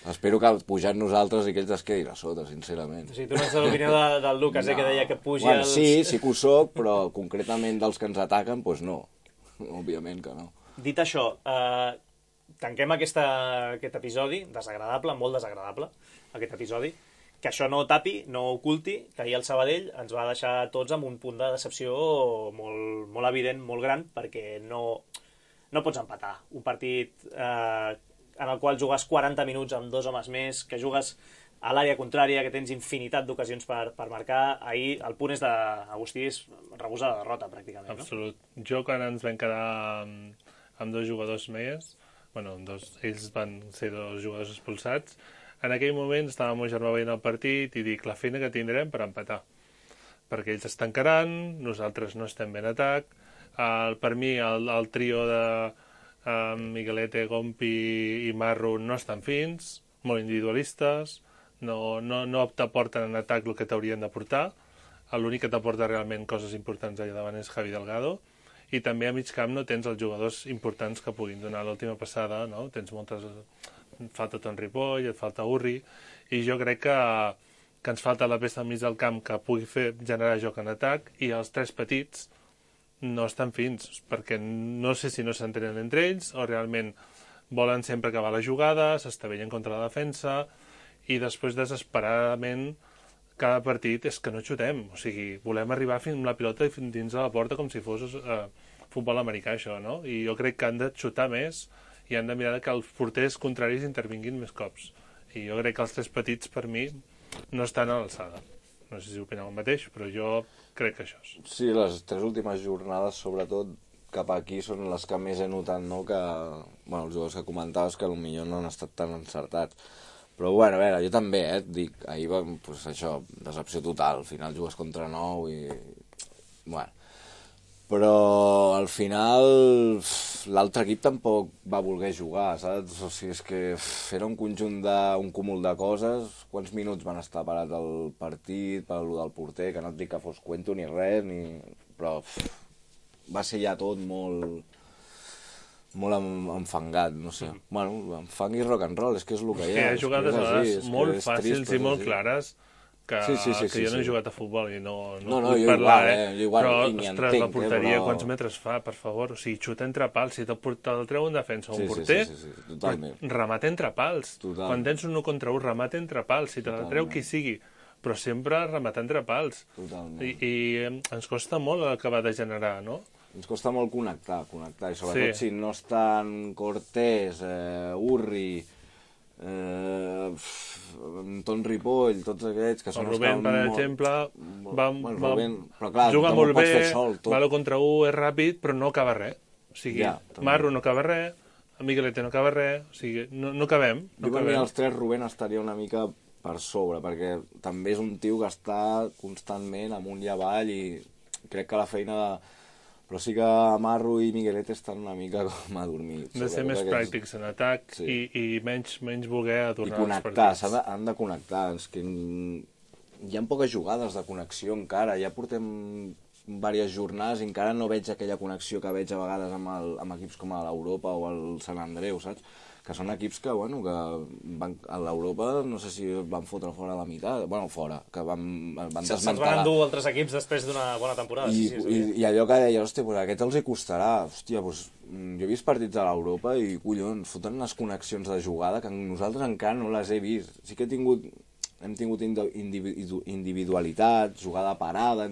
Espero que pujant nosaltres i que ells es quedin a sota, sincerament. O sigui, tu no ets de l'opinió del Lucas, que deia que pugi els... Sí que ho soc, però concretament dels que ens ataquen, doncs no. Òbviament que no. Dit això, tanquem aquest episodi, desagradable, molt desagradable, aquest episodi, que això no tapi, no oculti, que ahir el Sabadell ens va deixar tots amb un punt de decepció molt, molt evident, molt gran, perquè no pots empatar un partit en el qual jugues 40 minuts amb 2 homes més, que jugues a l'àrea contrària, que tens infinitat d'ocasions per marcar. Ahir el punt és d'Agustí, és rebusar la derrota, pràcticament. Absolut. Jo, quan ens vam quedar amb 2 jugadors més, ells van ser 2 jugadors expulsats, en aquell moment estava el meu germà veient el partit i dic, la feina que tindrem per empatar. Perquè ells es tancaran, nosaltres no estem ben atac. Per mi, el trio de Miguelete, Gompi i Marro no estan fins, molt individualistes, no t'aporten en atac el que t'haurien d'aportar. L'únic que t'aporta realment coses importants allà davant és Javi Delgado, i també a mig camp no tens els jugadors importants que puguin donar l'última passada, no? Tens moltes... falta Ton Ripoll, et falta Urri, i jo crec que ens falta la peça al mig del camp que pugui generar joc en atac, i els 3 petits no estan fins, perquè no sé si no s'entenen entre ells o realment volen sempre acabar la jugada, s'estavellen contra la defensa i després desesperadament cada partit és que no xutem, o sigui, volem arribar fins amb la pilota dins de la porta com si fos futbol americà, això, no? I jo crec que han de xutar més i han de mirar que els porters contraris intervinguin més cops. I jo crec que els 3 petits, per mi, no estan a l'alçada. No sé si opineu el mateix, però jo crec que això és. Sí, les 3 últimes jornades, sobretot cap aquí, són les que més he notat, no? Que, els jugadors que comentaves que potser no han estat tan encertats. Però, a veure, jo també, dic, ahir va, això, decepció total, al final jugues contra 9 i... Però al final l'altre equip tampoc va voler jugar, saps? O sigui, és que era un conjunt un cúmul de coses. Quants minuts van estar parats al partit, per allò del porter, que no et dic que fos cuento ni res, però va ser ja tot molt enfangat, no sé. Enfang i rock and roll, és que és el que hi ha. Hi ha jugades a vegades molt fàcils i molt clares, que jo no he jugat a futbol i no puc parlar, però, ostres, la porteria, quants metres fa, per favor? O sigui, xuta entre pals, si te'l treu un defensa o un porter, remata entre pals. Quan tens un 1 contra 1, remata entre pals, si te la treu qui sigui. però sempre rematant entre pals. Totalment. I ens costa molt acabar de generar, no? Ens costa molt connectar, i sobretot si no estan Cortés, Urri, Ton Ripoll, tots aquests que són... El Rubén, per exemple, juga molt bé, Malo contra 1 és ràpid, però no acaba res. O sigui, Marro no acaba res, Miguelete no acaba res, o sigui, no acabem. Jo per mi els 3 Rubén estaria una mica per sobre, perquè també és un tio que està constantment amunt i avall i crec que la feina de... Però sí que Marro i Miguelete estan una mica com adormits. Han de ser més pràctics en atac i menys voler adornar els partits. I connectar, han de connectar. És que hi ha poques jugades de connexió encara. Ja portem diverses jornades i encara no veig aquella connexió que veig a vegades amb equips com l'Europa o el Sant Andreu, saps? Que són equips que, bueno, que a l'Europa no sé si van fotre fora la meitat, bueno, fora, que van desmantelar. Se'ls van endur altres equips després d'una bona temporada. I allò que deia, hòstia, pues a aquests els hi costarà. Hòstia, pues, jo he vist partits a l'Europa i, collons, foten unes connexions de jugada que nosaltres encara no les he vist. Sí que hem tingut individualitat, jugada parada,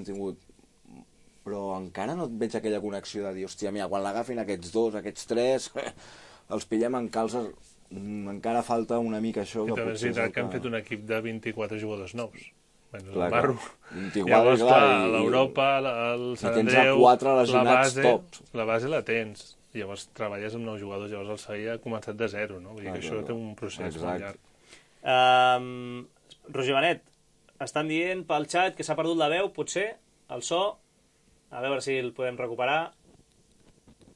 però encara no et veig aquella connexió de dir, hòstia, mira, quan l'agafin aquests 2, aquests 3... els pillem en calces, encara falta una mica això. I també és veritat que han fet un equip de 24 jugadors nous. El Marro. Llavors, clar, l'Europa, el Sant Andreu, la base la tens. Llavors treballes amb 9 jugadors, llavors el Sevilla ha començat de 0, no? Vull dir que això té un procés molt llarg. Roger Benet, estan dient pel xat que s'ha perdut la veu, potser, el so, a veure si el podem recuperar.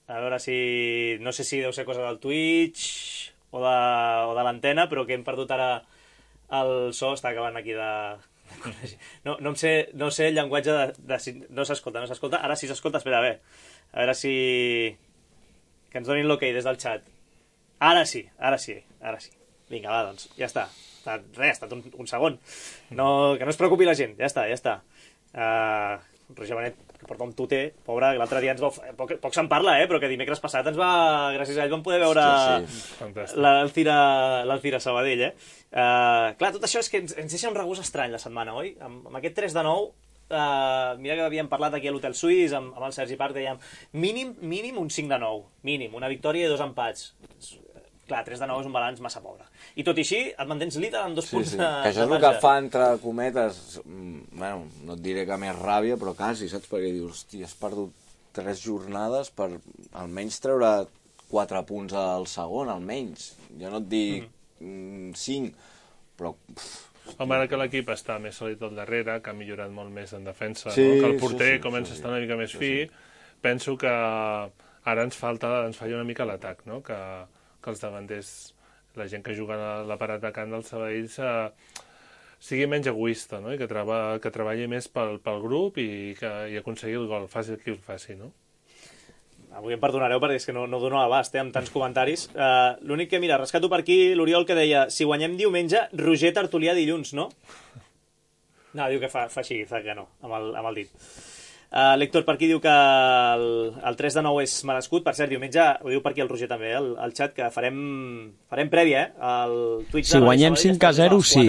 A veure si... No sé si deu ser cosa del Twitch o de l'antena, però que hem perdut ara el so, està acabant aquí de... No sé el llenguatge de... No s'escolta. Ara sí s'escolta, espera, a veure si... Que ens donin l'ok des del xat. Ara sí. Vinga, va, doncs, ja està. Ha estat un segon. Que no es preocupi la gent, ja està. Roger Benet, que porta un tuter, pobre, que l'altre dia ens va... Poc se'n parla, però que dimecres passat ens va... Gràcies a ell vam poder veure l'Alcira Sabadell, Clar, tot això és que ens deixa un regust estrany la setmana, oi? Amb aquest 3-9, mira que havíem parlat aquí a l'Hotel Suís, amb el Sergi Parc, dèiem mínim un 5-9, mínim, una victòria i 2 empats. Clar, 3-9 és un balanç massa pobre. I tot i així, et mantens líder amb 2 punts de marge. Que això és el que fa, entre cometes, bueno, no et diré que més ràbia, però quasi, saps? Perquè dius, hòstia, has perdut 3 jornades per almenys treure 4 punts al segon, almenys. Jo no et dic 5, però... Home, ara que l'equip està més sòlid al darrere, que ha millorat molt més en defensa, que el porter comença a estar una mica més fi, penso que ara ens falla una mica l'atac, no? Que els davanters, la gent que juga a la part atacant del Sabadell sigui menys egoista, no? I que treballi més pel grup i aconseguir el gol, faci qui el faci, no? Avui em perdonareu perquè és que no dono abast amb tants comentaris. L'únic que, mira, rescato per aquí l'Oriol que deia, si guanyem diumenge, Roger Tertulià dilluns, no? No, diu que fa així, fa que no, amb el dit. L'Héctor per aquí diu que el 3-9 és merescut. Per cert, diumenge, ho diu per aquí el Roger també, al xat, que farem prèvia, al Twitch. Si guanyem 5-0, sí.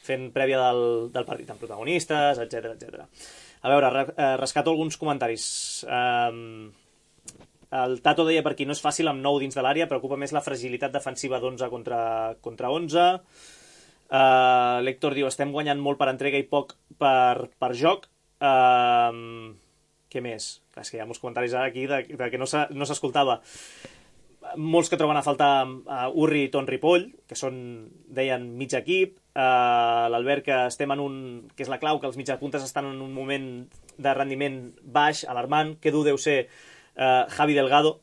Fent prèvia del partit amb protagonistes, etc. A veure, rescato alguns comentaris. El Tato deia per aquí, no és fàcil amb 9 dins de l'àrea, preocupa més la fragilitat defensiva d'11 contra 11. L'Héctor diu, estem guanyant molt per entrega i poc per joc. Què més? Clar, és que hi ha molts comentaris aquí de que no s'escoltava. Molts que troben a faltar Urri i Ton Ripoll, que són, deien, mig equip. L'Albert, que estem en que és la clau, que els mitjapuntes estan en un moment de rendiment baix, alarmant. Que dur deu ser Javi Delgado.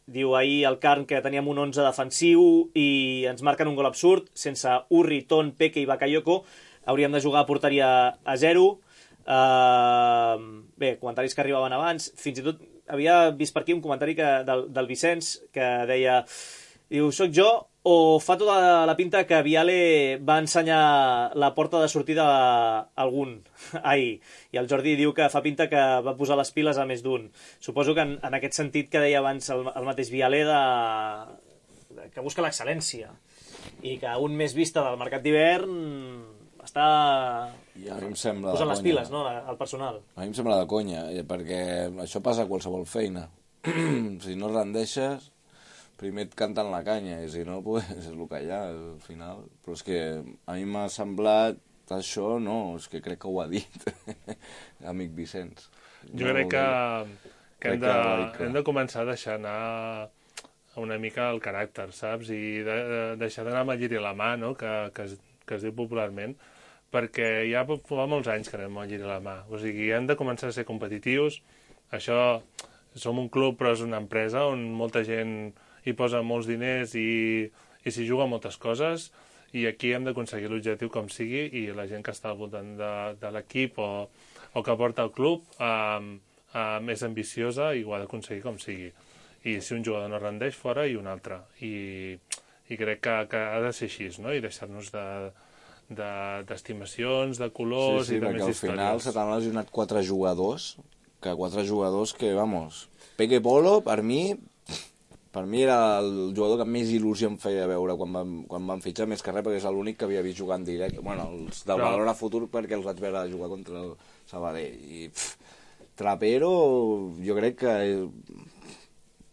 Diu ahir el Carn que teníem un 11 defensiu i ens marquen un gol absurd. Sense Urri, Ton, Peque i Bakayoko hauríem de jugar a porteria a 0. Bé, comentaris que arribaven abans. Fins i tot havia vist per aquí un comentari del Vicenç que deia, diu, soc jo o fa tota la pinta que Viale va ensenyar la porta de sortida a algun ahir. I el Jordi diu que fa pinta que va posar les piles a més d'un. Suposo que en aquest sentit que deia abans el mateix Viale que busca l'excel·lència. i que un mes vista del mercat d'hivern està posant les piles, no?, al personal. A mi em sembla de conya, perquè això passa a qualsevol feina. Si no rendeixes, primer et canten la canya, i si no, pues, és el que hi ha, al final. Però és que a mi m'ha semblat això, no, és que crec que ho ha dit, amic Vicenç. Jo crec que hem de començar a deixar anar una mica el caràcter, saps? I deixar d'anar amb el lliri a la mà, no?, que es diu popularment, perquè ja fa molts anys que anem amb el lliri a la mà. O sigui, hem de començar a ser competitius. Això, som un club, però és una empresa on molta gent hi posa molts diners i s'hi juga moltes coses, i aquí hem d'aconseguir l'objectiu com sigui, i la gent que està al voltant de l'equip o que porta el club és ambiciosa i ho ha d'aconseguir com sigui. I si un jugador no rendeix, fora, i un altre. I crec que ha de ser així, no?, i deixar-nos d'estimacions, de colors i de més històries. Sí, perquè al final se t'han lesionat 4 jugadors, vamos, Peque Polo, per mi era el jugador que més il·lusió em feia veure quan van fitxar, més que res perquè és l'únic que havia vist jugar en directe. Bueno, els del Badalona Futur perquè els vaig veure jugar contra el Sabadell. I Trapero, jo crec que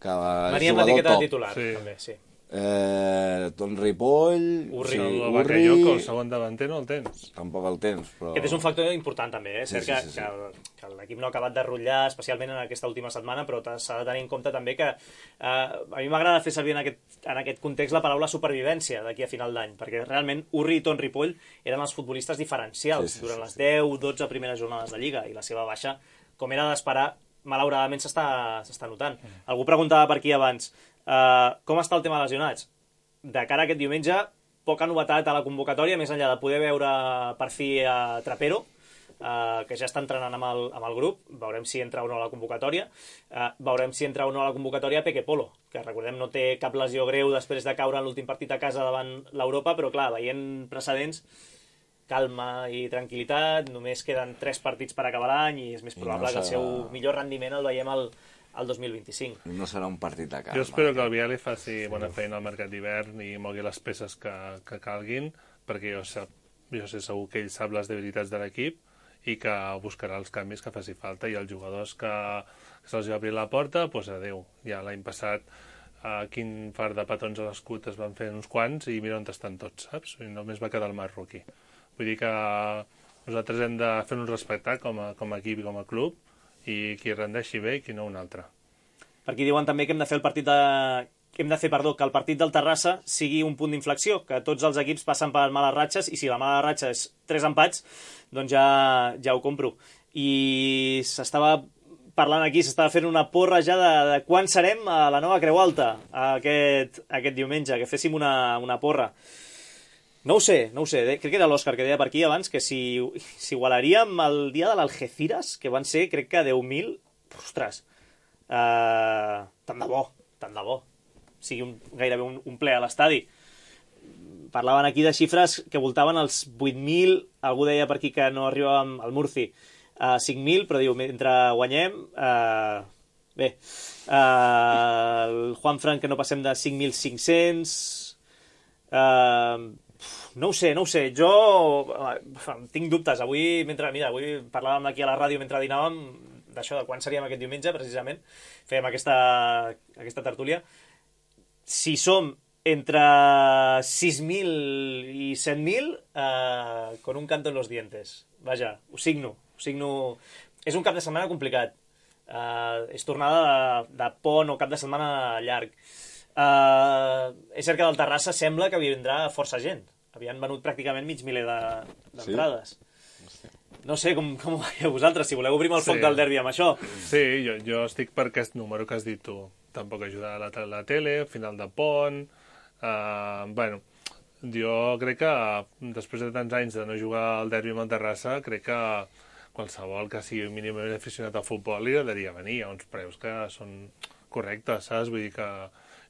venia amb l'etiqueta de titular, també, sí. Don Ripoll, Urri, el Bakayoko, el segon davanter no el tens. Tampoc el tens, però... Aquest és un factor important també, és cert que l'equip no ha acabat de rotllar, especialment en aquesta última setmana, però s'ha de tenir en compte també que a mi m'agrada fer servir en aquest context la paraula supervivència d'aquí a final d'any, perquè realment Urri i Ton Ripoll eren els futbolistes diferencials durant les 10-12 primeres jornades de Lliga, i la seva baixa, com era d'esperar, malauradament s'està notant. Algú preguntava per aquí abans com està el tema de lesionats. De cara a aquest diumenge, poca novetat a la convocatòria, més enllà de poder veure per fi a Trapero, que ja està entrenant amb el grup. Veurem si entra o no a la convocatòria. Veurem si entra o no a la convocatòria Peque Polo, que recordem no té cap lesió greu després de caure en l'últim partit a casa davant l'Europa, però clar, veient precedents, calma i tranquil·litat, només queden 3 partits per acabar l'any i és més probable que el seu millor rendiment el veiem al 2025. No serà un partit de calma. Jo espero que el Viali faci bona feina al mercat d'hivern i mogui les peces que calguin, perquè jo sé segur que ell sap les debilitats de l'equip i que buscarà els canvis que faci falta, i els jugadors que se'ls va obrir la porta, doncs adeu. Ja l'any passat quin far de petons a l'escut es van fer uns quants i mira on estan tots, saps? I només va quedar el Marroquí. Vull dir que nosaltres hem de fer-nos respectar com a equip i com a club, i qui rendeixi bé i qui no un altre. Per aquí diuen també que hem de fer que el partit del Terrassa sigui un punt d'inflexió, que tots els equips passen per males ratxes, i si la mala ratxa és 3 empats, doncs ja ho compro. I s'estava parlant aquí, s'estava fent una porra ja de quan serem a la nova Creu Alta aquest diumenge, que féssim una porra. No ho sé, crec que era l'Òscar que deia per aquí abans que si igualaríem el dia de l'Algeciras, que van ser, crec que 10.000, ostres, tant de bo, sigui gairebé un ple a l'estadi. Parlaven aquí de xifres que voltaven els 8.000, algú deia per aquí que no arribàvem al Murci a 5.000, però diu, mentre guanyem, bé, el Juanfran que no passem de 5.500, no ho sé, jo tinc dubtes. Avui parlàvem aquí a la ràdio mentre dinàvem d'això, de quan seríem aquest diumenge, precisament, fèiem aquesta tertúlia. Si som entre 6.000 i 7.000, con un canto en los dientes. Vaja, ho signo. És un cap de setmana complicat. És tornada de pont o cap de setmana llarg. És cert que del Terrassa sembla que vindrà força gent. Havien venut pràcticament mig miler d'entrades. Sí? No sé com ho veieu vosaltres, si voleu obrim el foc del derbi amb això. Sí, jo estic per aquest número que has dit tu. Tampoc ajuda a la tele, final de pont... Bueno, jo crec que després de tants anys de no jugar al derbi amb el Terrassa, crec que qualsevol que sigui mínimament aficionat al futbol li agradaria venir a uns preus que són correctes, saps? Vull dir que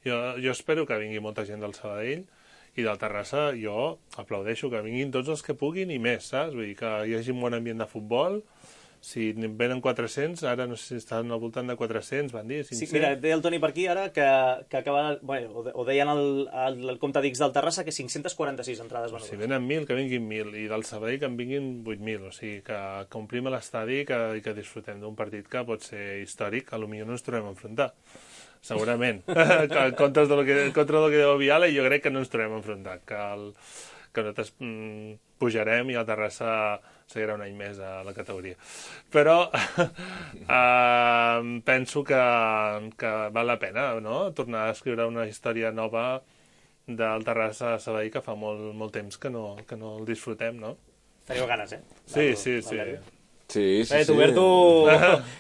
jo espero que vingui molta gent del Sabadell, i del Terrassa jo aplaudeixo que vinguin tots els que puguin i més, saps? Vull dir que hi hagi un bon ambient de futbol, Si venen 400, ara no sé si estan al voltant de 400, van dir, 500... Sí, mira, deia el Toni per aquí ara que acaba... Bueno, o deien el compte d'X del Terrassa que 546 entrades venudes. Si venen 1.000, que vinguin 1.000, i del Sabadell que en vinguin 8.000, o sigui, que omplim l'estadi i que disfrutem d'un partit que pot ser històric, a lo millor no ens trobem a enfrontar. Segurament. En contra del que deu Viala, jo crec que no ens trobem a enfrontar, que nosaltres pujarem i el Terrassa seguirà un any més a la categoria. Però penso que val la pena, no?, tornar a escriure una història nova del Terrassa a Sabadell que fa molt temps que no el disfrutem, no? Teniu ganes, eh? Sí. Sí. Huberto,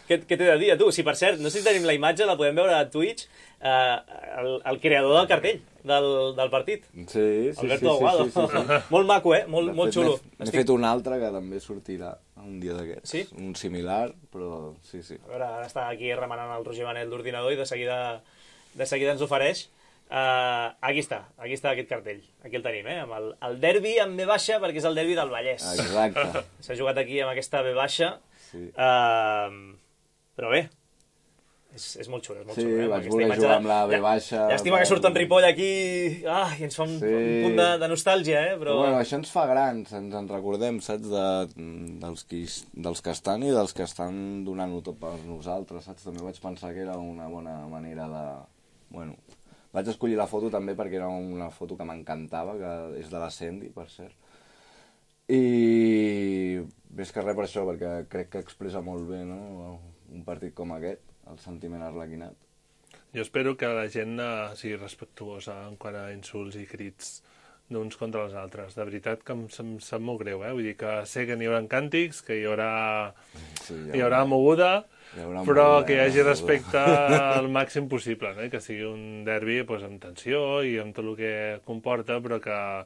què t'he de dir a tu? Sí, per cert, no sé si tenim la imatge, la podem veure a Twitch, el creador del cartell del partit. Sí. Alberto Aguado. Molt maco, molt xulo. N'he fet un altre que també sortirà un dia d'aquests. Sí? Un similar, però sí. A veure, ara està aquí remenant el Roger Manel d'ordinador i de seguida ens ofereix. Aquí està aquest cartell. Aquí el tenim, amb el derbi amb B baixa, perquè és el derbi del Vallès. Exacte. S'ha jugat aquí amb aquesta B baixa. Sí. Però bé, és molt xulo. Sí, vaig voler jugar amb la B baixa. Llàstima que surt en Ripoll aquí i ens fa un punt de nostàlgia, però bueno, això ens fa grans, ens en recordem, saps, dels que estan i dels que estan donant-ho tot per nosaltres, saps? També vaig pensar que era una bona manera de... Bueno, vaig escollir la foto també perquè era una foto que m'encantava, que és de la Sandy, per cert. I més que res per això, perquè crec que expressa molt bé, no?, un partit com aquest, el sentiment arlequinat. Jo espero que la gent sigui respectuosa en quant a insults i crits d'uns contra els altres. De veritat que em sap molt greu, Vull dir que sé que n'hi haurà càntics, que hi haurà moguda, però que hi hagi respecte al màxim possible, no? I que sigui un derbi amb tensió i amb tot el que comporta, però que...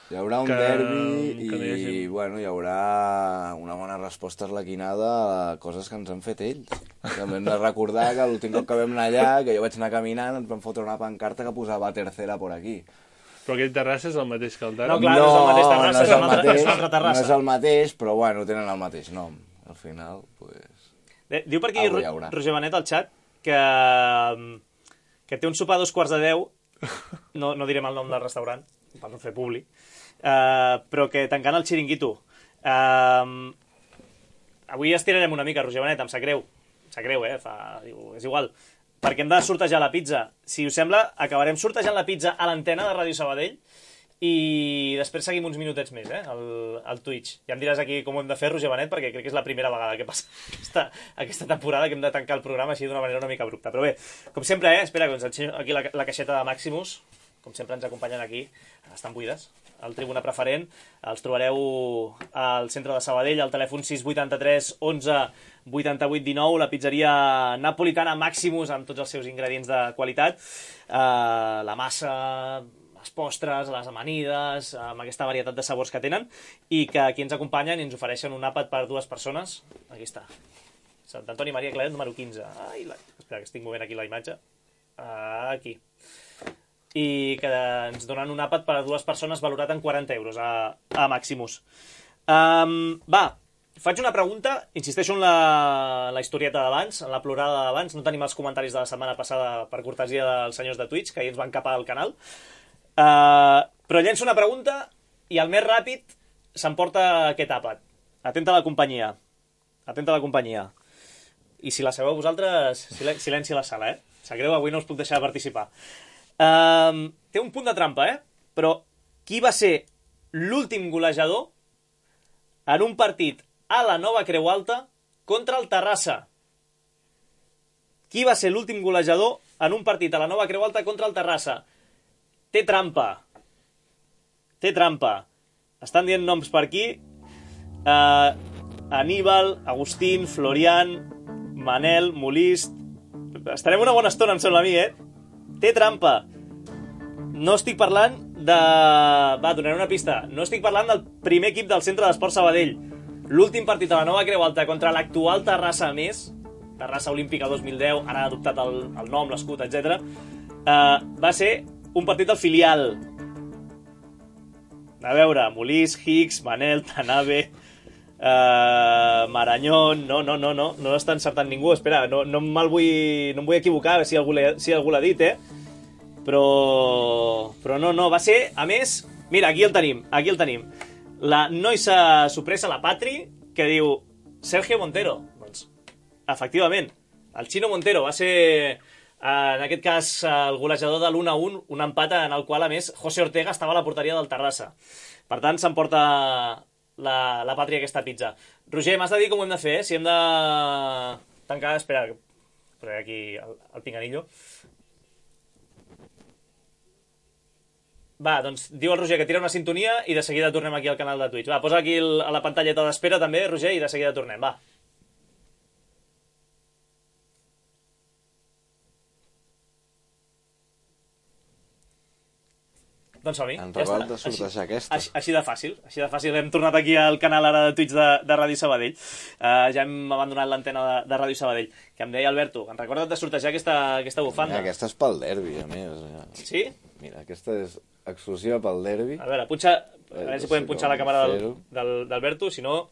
Hi haurà un derbi i bueno, hi haurà una bona resposta arlequinada a coses que ens han fet ells. També hem de recordar que l'últim cop que vam anar allà, que jo vaig anar caminant, ens vam fotre una pancarta que posava tercera por aquí. Però aquell Terrassa és el mateix que el Terrassa? No, clar, no és el mateix Terrassa, és una altra Terrassa. No és el mateix, però bueno, tenen el mateix nom. Al final, pues... Diu per aquí Roger Benet al xat que té un sopar a 2:15, no direm el nom del restaurant, per no fer publi, però que tancant el xiringuito. Avui estirarem una mica, Roger Benet, em sap greu, és igual, perquè hem de sortejar la pizza. Si us sembla, acabarem sortejant la pizza a l'antena de Ràdio Sabadell i després seguim uns minutets més, al Twitch. Ja em diràs aquí com ho hem de fer, Roger Benet, perquè crec que és la primera vegada que passa aquesta temporada que hem de tancar el programa així d'una manera una mica abrupta. Però bé, com sempre, espera que us ensenyo aquí la caixeta de Maximus. Com sempre ens acompanyen aquí, estan buides, al Tribuna Preferent. Els trobareu al centre de Sabadell, al telèfon 683 11 88 19, la pizzeria napolitana Maximus, amb tots els seus ingredients de qualitat, la massa, les postres, les amanides, amb aquesta varietat de sabors que tenen, i que aquí ens acompanyen i ens ofereixen un àpat per 2 persones. Aquí està. Sant Antoni Maria Claret, número 15. Espera, que estic movent aquí la imatge. Aquí. I que ens donen un àpat per a 2 persones valorat en 40 euros a Maximus. Va, faig una pregunta, insisteixo en la historieta d'abans, en la plorada d'abans, no tenim els comentaris de la setmana passada per cortesia dels senyors de Twitch, que ahir ens van capar al canal, però llenço una pregunta i el més ràpid s'emporta aquest àpat. Atenta a la companyia. I si la sabeu vosaltres, silenci a la sala, Sap greu, avui no us puc deixar de participar. Té un punt de trampa, però qui va ser l'últim golejador en un partit a la Nova Creu Alta contra el Terrassa? Qui va ser l'últim golejador en un partit a la Nova Creu Alta contra el Terrassa? Té trampa. Estan dient noms per aquí. Aníbal, Agustín, Florian, Manel, Molist... Estarem una bona estona, em sembla a mi, Té trampa. No estic parlant de... Va, donaré una pista. No estic parlant del primer equip del Centre d'Esport Sabadell. L'últim partit a la Nova Creu Alta contra l'actual Terrassa més, Terrassa Olímpica 2010, ara ha adoptat el nom, l'escut, etc. Va ser un partit del filial. A veure, Molís, Hicks, Manel, Tanabe... Marañón, no està encertant ningú, espera, no em vull equivocar si algú l'ha dit, però no, va ser, a més, mira, aquí el tenim, la noisa sorpresa, la Patri, que diu Sergio Montero. Doncs, efectivament, el Chino Montero va ser, en aquest cas, el golejador de l'1-1, un empat en el qual, a més, José Ortega estava a la porteria del Terrassa. Per tant, s'emporta la Pàtria aquesta pizza. Roger, m'has de dir com ho hem de fer, si hem de tancar... Espera, posaré aquí el pinganillo. Va, doncs diu el Roger que tira una sintonia i de seguida tornem aquí al canal de Twitch. Va, posa aquí a la pantalleta d'espera també, Roger, i de seguida tornem, va. Doncs som-hi. Han rebat de sortejar aquesta. Així de fàcil. Hem tornat aquí al canal ara de Twitch de Ràdio Sabadell. Ja hem abandonat l'antena de Ràdio Sabadell. Que em deia Alberto, en recorda't de sortejar aquesta bufanda. Aquesta és pel derbi, a més. Sí? Mira, aquesta és exclusiva pel derbi. A veure, a veure si podem punxar la càmera d'Alberto, si no...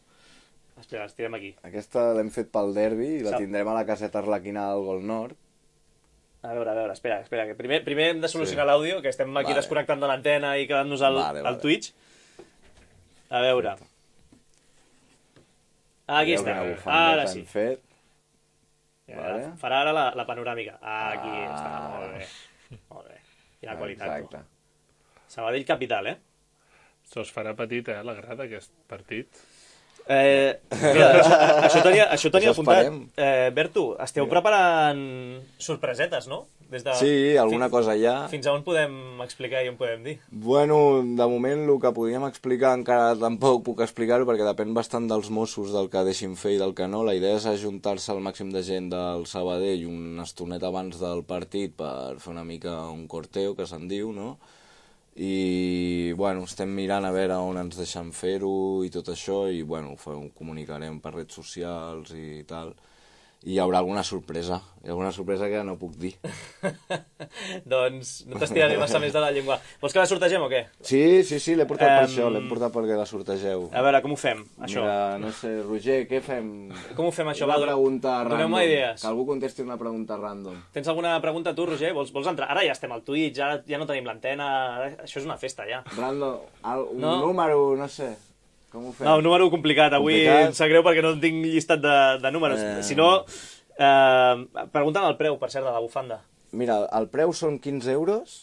Espera, estirem aquí. Aquesta l'hem fet pel derbi i la tindrem a la caseta arlequina del Gol Nord. A veure, espera, que primer hem de solucionar l'àudio, que estem aquí desconnectant de l'antena i quedant-nos al Twitch. A veure. Aquí està, ara sí. Farà ara la panoràmica. Aquí està, molt bé. Quina qualitat. Exacte. Sabadell capital, Se'ls farà petit, la grada, aquest partit. Això tenia apuntat. Berto, esteu preparant sorpresetes, no? Sí, alguna cosa hi ha. Fins a on podem explicar i on podem dir? Bueno, de moment el que podíem explicar encara tampoc puc explicar-ho perquè depèn bastant dels Mossos, del que deixin fer i del que no. La idea és ajuntar-se al màxim de gent del Sabadell una estoneta abans del partit per fer una mica un corteo, que se'n diu, no? I, bueno, estem mirant a veure on ens deixen fer-ho i tot això i, bueno, ho comunicarem per redes socials i tal. I hi haurà alguna sorpresa que no puc dir. Doncs no t'estiraré massa més de la llengua. Vols que la sortegem o què? Sí, l'he portat per això, l'he portat perquè la sortegeu. A veure, com ho fem, això? Mira, no sé, Roger, què fem? Com ho fem, això? Una pregunta random. Doneu-me idees. Que algú contesti una pregunta random. Tens alguna pregunta tu, Roger? Vols entrar? Ara ja estem al Twitch, ara ja no tenim l'antena, això és una festa, ja. Random, un número, no sé... No, un número complicat. Avui em sap greu perquè no tinc llistat de números. Si no, preguntant el preu, per cert, de la bufanda. Mira, el preu són 15 euros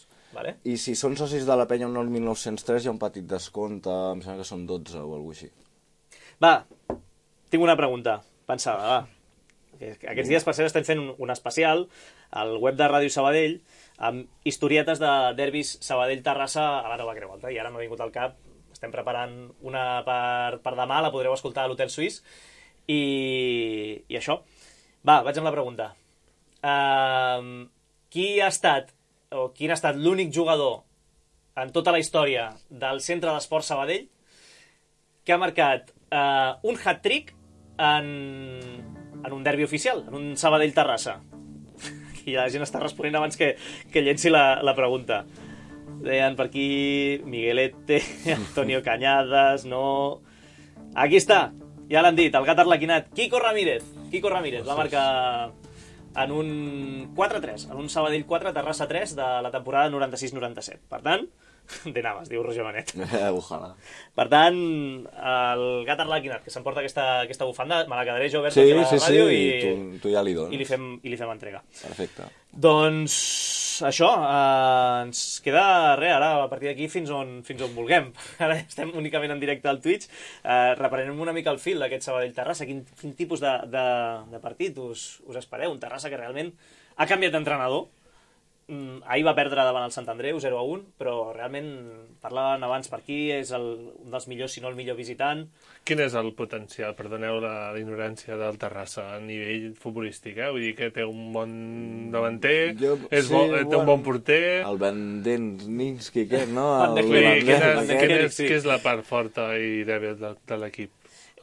i si són socis de la penya 1903 hi ha un petit descompte, em sembla que són 12 o alguna cosa així. Va, tinc una pregunta pensada, va. Aquests dies, per cert, estem fent un especial al web de Ràdio Sabadell amb historietes de derbis Sabadell-Terrassa a la Nova Creu Alta i ara m'ha vingut al cap. Estem preparant una per demà, la podreu escoltar a l'Hotel Suís. I això. Va, vaig amb la pregunta. Quin ha estat l'únic jugador en tota la història del Centre d'Esports Sabadell que ha marcat un hat-trick en un derbi oficial, en un Sabadell-Terrassa? Aquí la gent està responent abans que llenci la pregunta. Deien per aquí Miguelete, Antonio Cañadas, no... Aquí està, ja l'han dit, el gat arlequinat, Quico Ramírez va marcar en un 4-3, en un Sabadell 4, Terrassa 3 de la temporada 96-97. Per tant, de naves, diu Roger Benet. Ojalà. Per tant, el gat arlequinat, que s'emporta aquesta bufanda, me la quedaré jo oberta aquí a la ràdio i tu ja li dones. I li fem entrega. Perfecte. Doncs això, ens queda res, ara a partir d'aquí fins on vulguem. Ara estem únicament en directe al Twitch. Reprenem una mica el fil d'aquest Sabadell-Terrassa. Quin tipus de partit us espereu? Un Terrassa que realment ha canviat d'entrenador. Ahir va perdre davant el Sant Andreu 0-1, però realment parlaven abans per aquí, és un dels millors, si no el millor visitant. Quin és el potencial, perdoneu la ignorància del Terrassa a nivell futbolístic, Vull dir que té un bon davanter, té un bon porter... El Bandenski, què, no? Què és la part forta i dèbil de l'equip?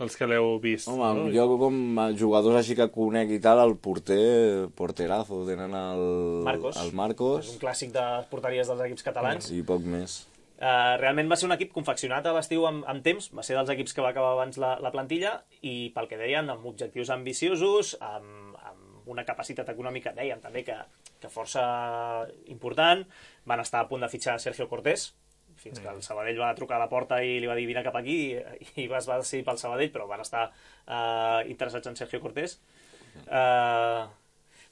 Els que l'heu vist. Home, jo com a jugadors així que conec i tal, el porterazo, tenen el Marcos. És un clàssic de porteries dels equips catalans. I poc més. Realment va ser un equip confeccionat a l'estiu amb temps, va ser dels equips que va acabar abans la plantilla, i pel que deien, amb objectius ambiciosos, amb una capacitat econòmica, deien també que força important. Van estar a punt de fitxar Sergio Cortés, fins que el Sabadell va trucar a la porta i li va dir vine cap aquí, i es va decidir pel Sabadell, però van estar interessats en Sergio Cortés.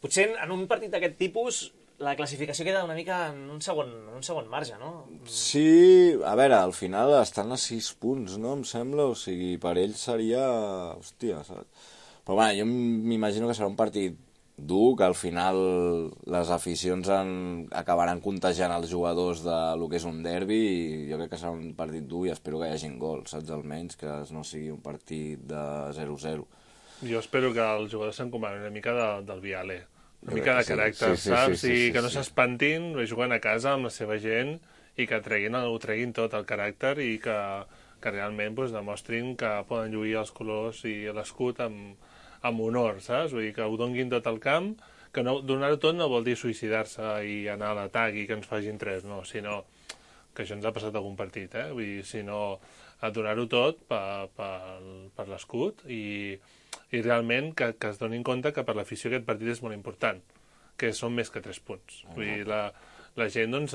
Potser en un partit d'aquest tipus la classificació queda una mica en un segon marge, no? Sí, a veure, al final estan a 6 punts, no? Em sembla, o sigui, per ells seria... Hòstia, saps? Però bueno, jo m'imagino que serà un partit dur, que al final les aficions acabaran contagiant els jugadors del que és un derbi, i jo crec que serà un partit dur i espero que hi hagin gols, saps? Almenys que no sigui un partit de 0-0. Jo espero que els jugadors s'encomanin una mica del Viale, una mica de caràcter, saps? I que no s'espantin, juguen a casa amb la seva gent i que ho treguin tot, el caràcter, i que realment demostrin que poden lluir els colors i l'escut amb honor, saps? Vull dir, que ho donguin tot al camp, que donar-ho tot no vol dir suïcidar-se i anar a l'atac i que ens facin 3, no, sinó que això ens ha passat algun partit, vull dir, sinó a donar-ho tot per l'escut i realment que es donin compte que per l'afició aquest partit és molt important, que són més que 3 punts. Vull dir, la gent, doncs,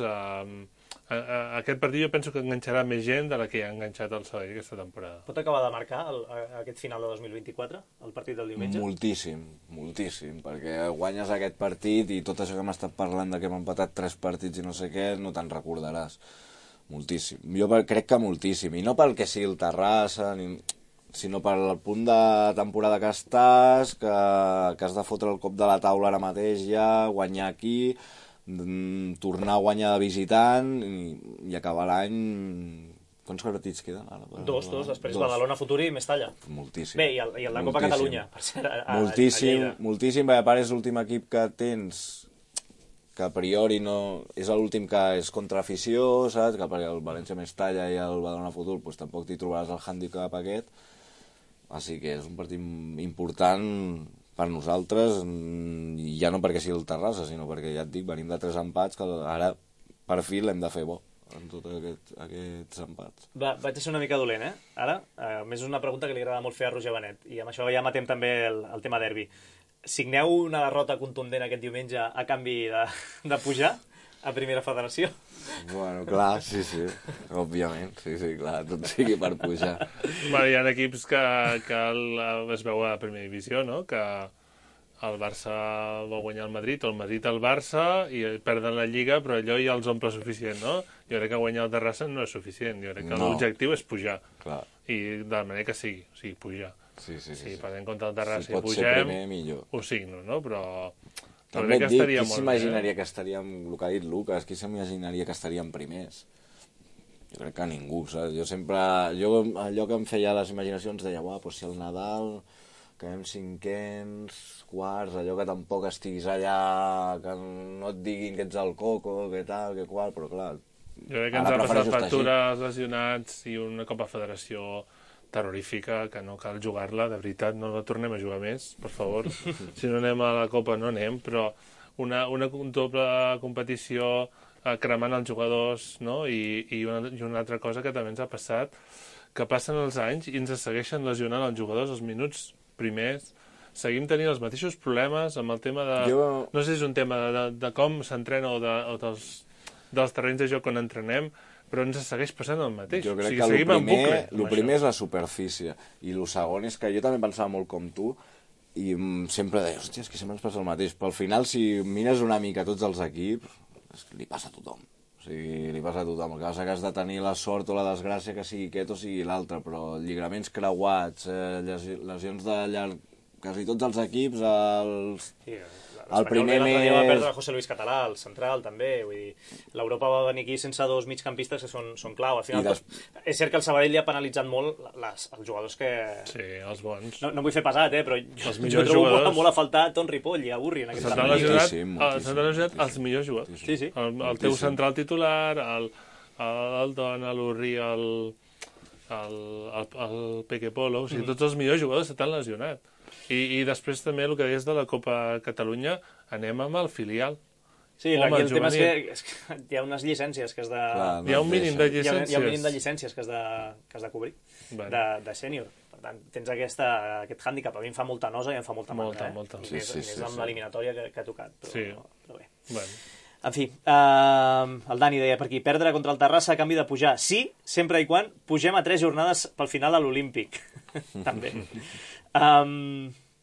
aquest partit jo penso que enganxarà més gent de la que ha enganxat el Sabadell aquesta temporada. Pot acabar de marcar aquest final de 2024, el partit del diumenge? Moltíssim, perquè guanyes aquest partit i tot això que hem estat parlant de que hem empatat 3 partits i no sé què, no te'n recordaràs. Moltíssim. Jo crec que moltíssim, i no pel que sigui el Terrassa, sinó pel punt de temporada que estàs, que has de fotre el cop de la taula ara mateix ja, guanyar aquí, tornar a guanyar de visitant i acabar l'any... Quants partits queden ara? Dos, després Badalona, Futur i Mestalla. Moltíssim. Bé, i el de Copa Catalunya, per ser a moltíssim, Lleida. Moltíssim, perquè a part és l'últim equip que tens, que a priori no... És l'últim que és contra afició, saps? Que perquè el València Mestalla i el Badalona Futur pues, tampoc t'hi trobaràs el hàndicap aquest. Així que és un partit important per nosaltres, ja no perquè sigui el Terrassa, sinó perquè, ja et dic, venim de 3 empats que ara, per fi, l'hem de fer bo en tots aquests empats. Vaig ser una mica dolent, Ara, més una pregunta que li agrada molt fer a Roger Benet, i amb això ja matem també el tema derbi. Signeu una derrota contundent aquest diumenge a canvi de pujar a Primera Federació? Bueno, clar, sí, òbviament, sí, clar, tot sigui per pujar. Bueno, hi ha equips que es veu a Primera Divisió, no?, que el Barça va guanyar el Madrid, o el Madrid el Barça, i perden la Lliga, però allò ja els omple suficient, no? Jo crec que guanyar el Terrassa no és suficient, jo crec que l'objectiu és pujar, i de la manera que sigui, o sigui, pujar. Sí. Si perdem contra el Terrassa i pugem, primer, millor. Ho signo, no?, però... També et dic, qui s'imaginaria que estaríem, el que ha dit Lucas, qui s'imaginaria que estaríem primers? Jo crec que ningú, saps? Allò que em feia les imaginacions deia, doncs si el Nadal quedem 5ens, quarts, allò que tampoc estiguis allà, que no et diguin que ets el coco, que tal, que qual, però clar... Jo crec que ens ha passat factures, lesionats i una Copa Federació terrorífica, que no cal jugar-la, de veritat, no la tornem a jugar més, per favor. Si no anem a la Copa, no anem, però una doble competició cremant els jugadors, no? I una altra cosa que també ens ha passat, que passen els anys i ens segueixen lesionant els jugadors els minuts primers, seguim tenint els mateixos problemes amb el tema de... No sé si és un tema de com s'entrena o dels terrenys de joc on entrenem, però ens segueix passant el mateix. Jo crec que el primer és la superfície, i el segon és que jo també pensava molt com tu, i sempre deia, hòstia, és que sempre ens passa el mateix, però al final, si mires una mica tots els equips, li passa a tothom. O sigui, li passa a tothom. El que passa que has de tenir la sort o la desgràcia que sigui aquest o sigui l'altre, però lligaments creuats, lesions de llarg... Quasi tots els equips, el primer mes... L'Espanyol va perdre José Luis Català, el central, també. Vull dir, l'Europa va venir aquí sense 2 migcampistes que són clau. Al final, és cert que el Sabadell li ha penalitzat molt els jugadors que... Sí, els bons. No vull fer pesat, però jo trobo molt a faltar Ton Ripoll i a Burri en aquest campionat. S'han lesionat els millors jugadors. Sí. El teu central titular, el Don, l'Urri, el Peque Polo, o sigui, tots els millors jugadors s'han lesionat. I després també el que deies de la Copa Catalunya, anem amb el filial. Sí, aquí el tema és que hi ha unes llicències que has de... Hi ha un mínim de llicències. Hi ha un mínim de llicències que has de cobrir, de sènior. Per tant, tens aquest hàndicap. A mi em fa molta nosa i em fa molta mandra. Molta. I més amb l'eliminatòria que ha tocat. Però bé. En fi, el Dani deia per aquí, perdre contra el Terrassa a canvi de pujar. Sí, sempre i quan pugem a 3 jornades pel final a l'Olímpic. També.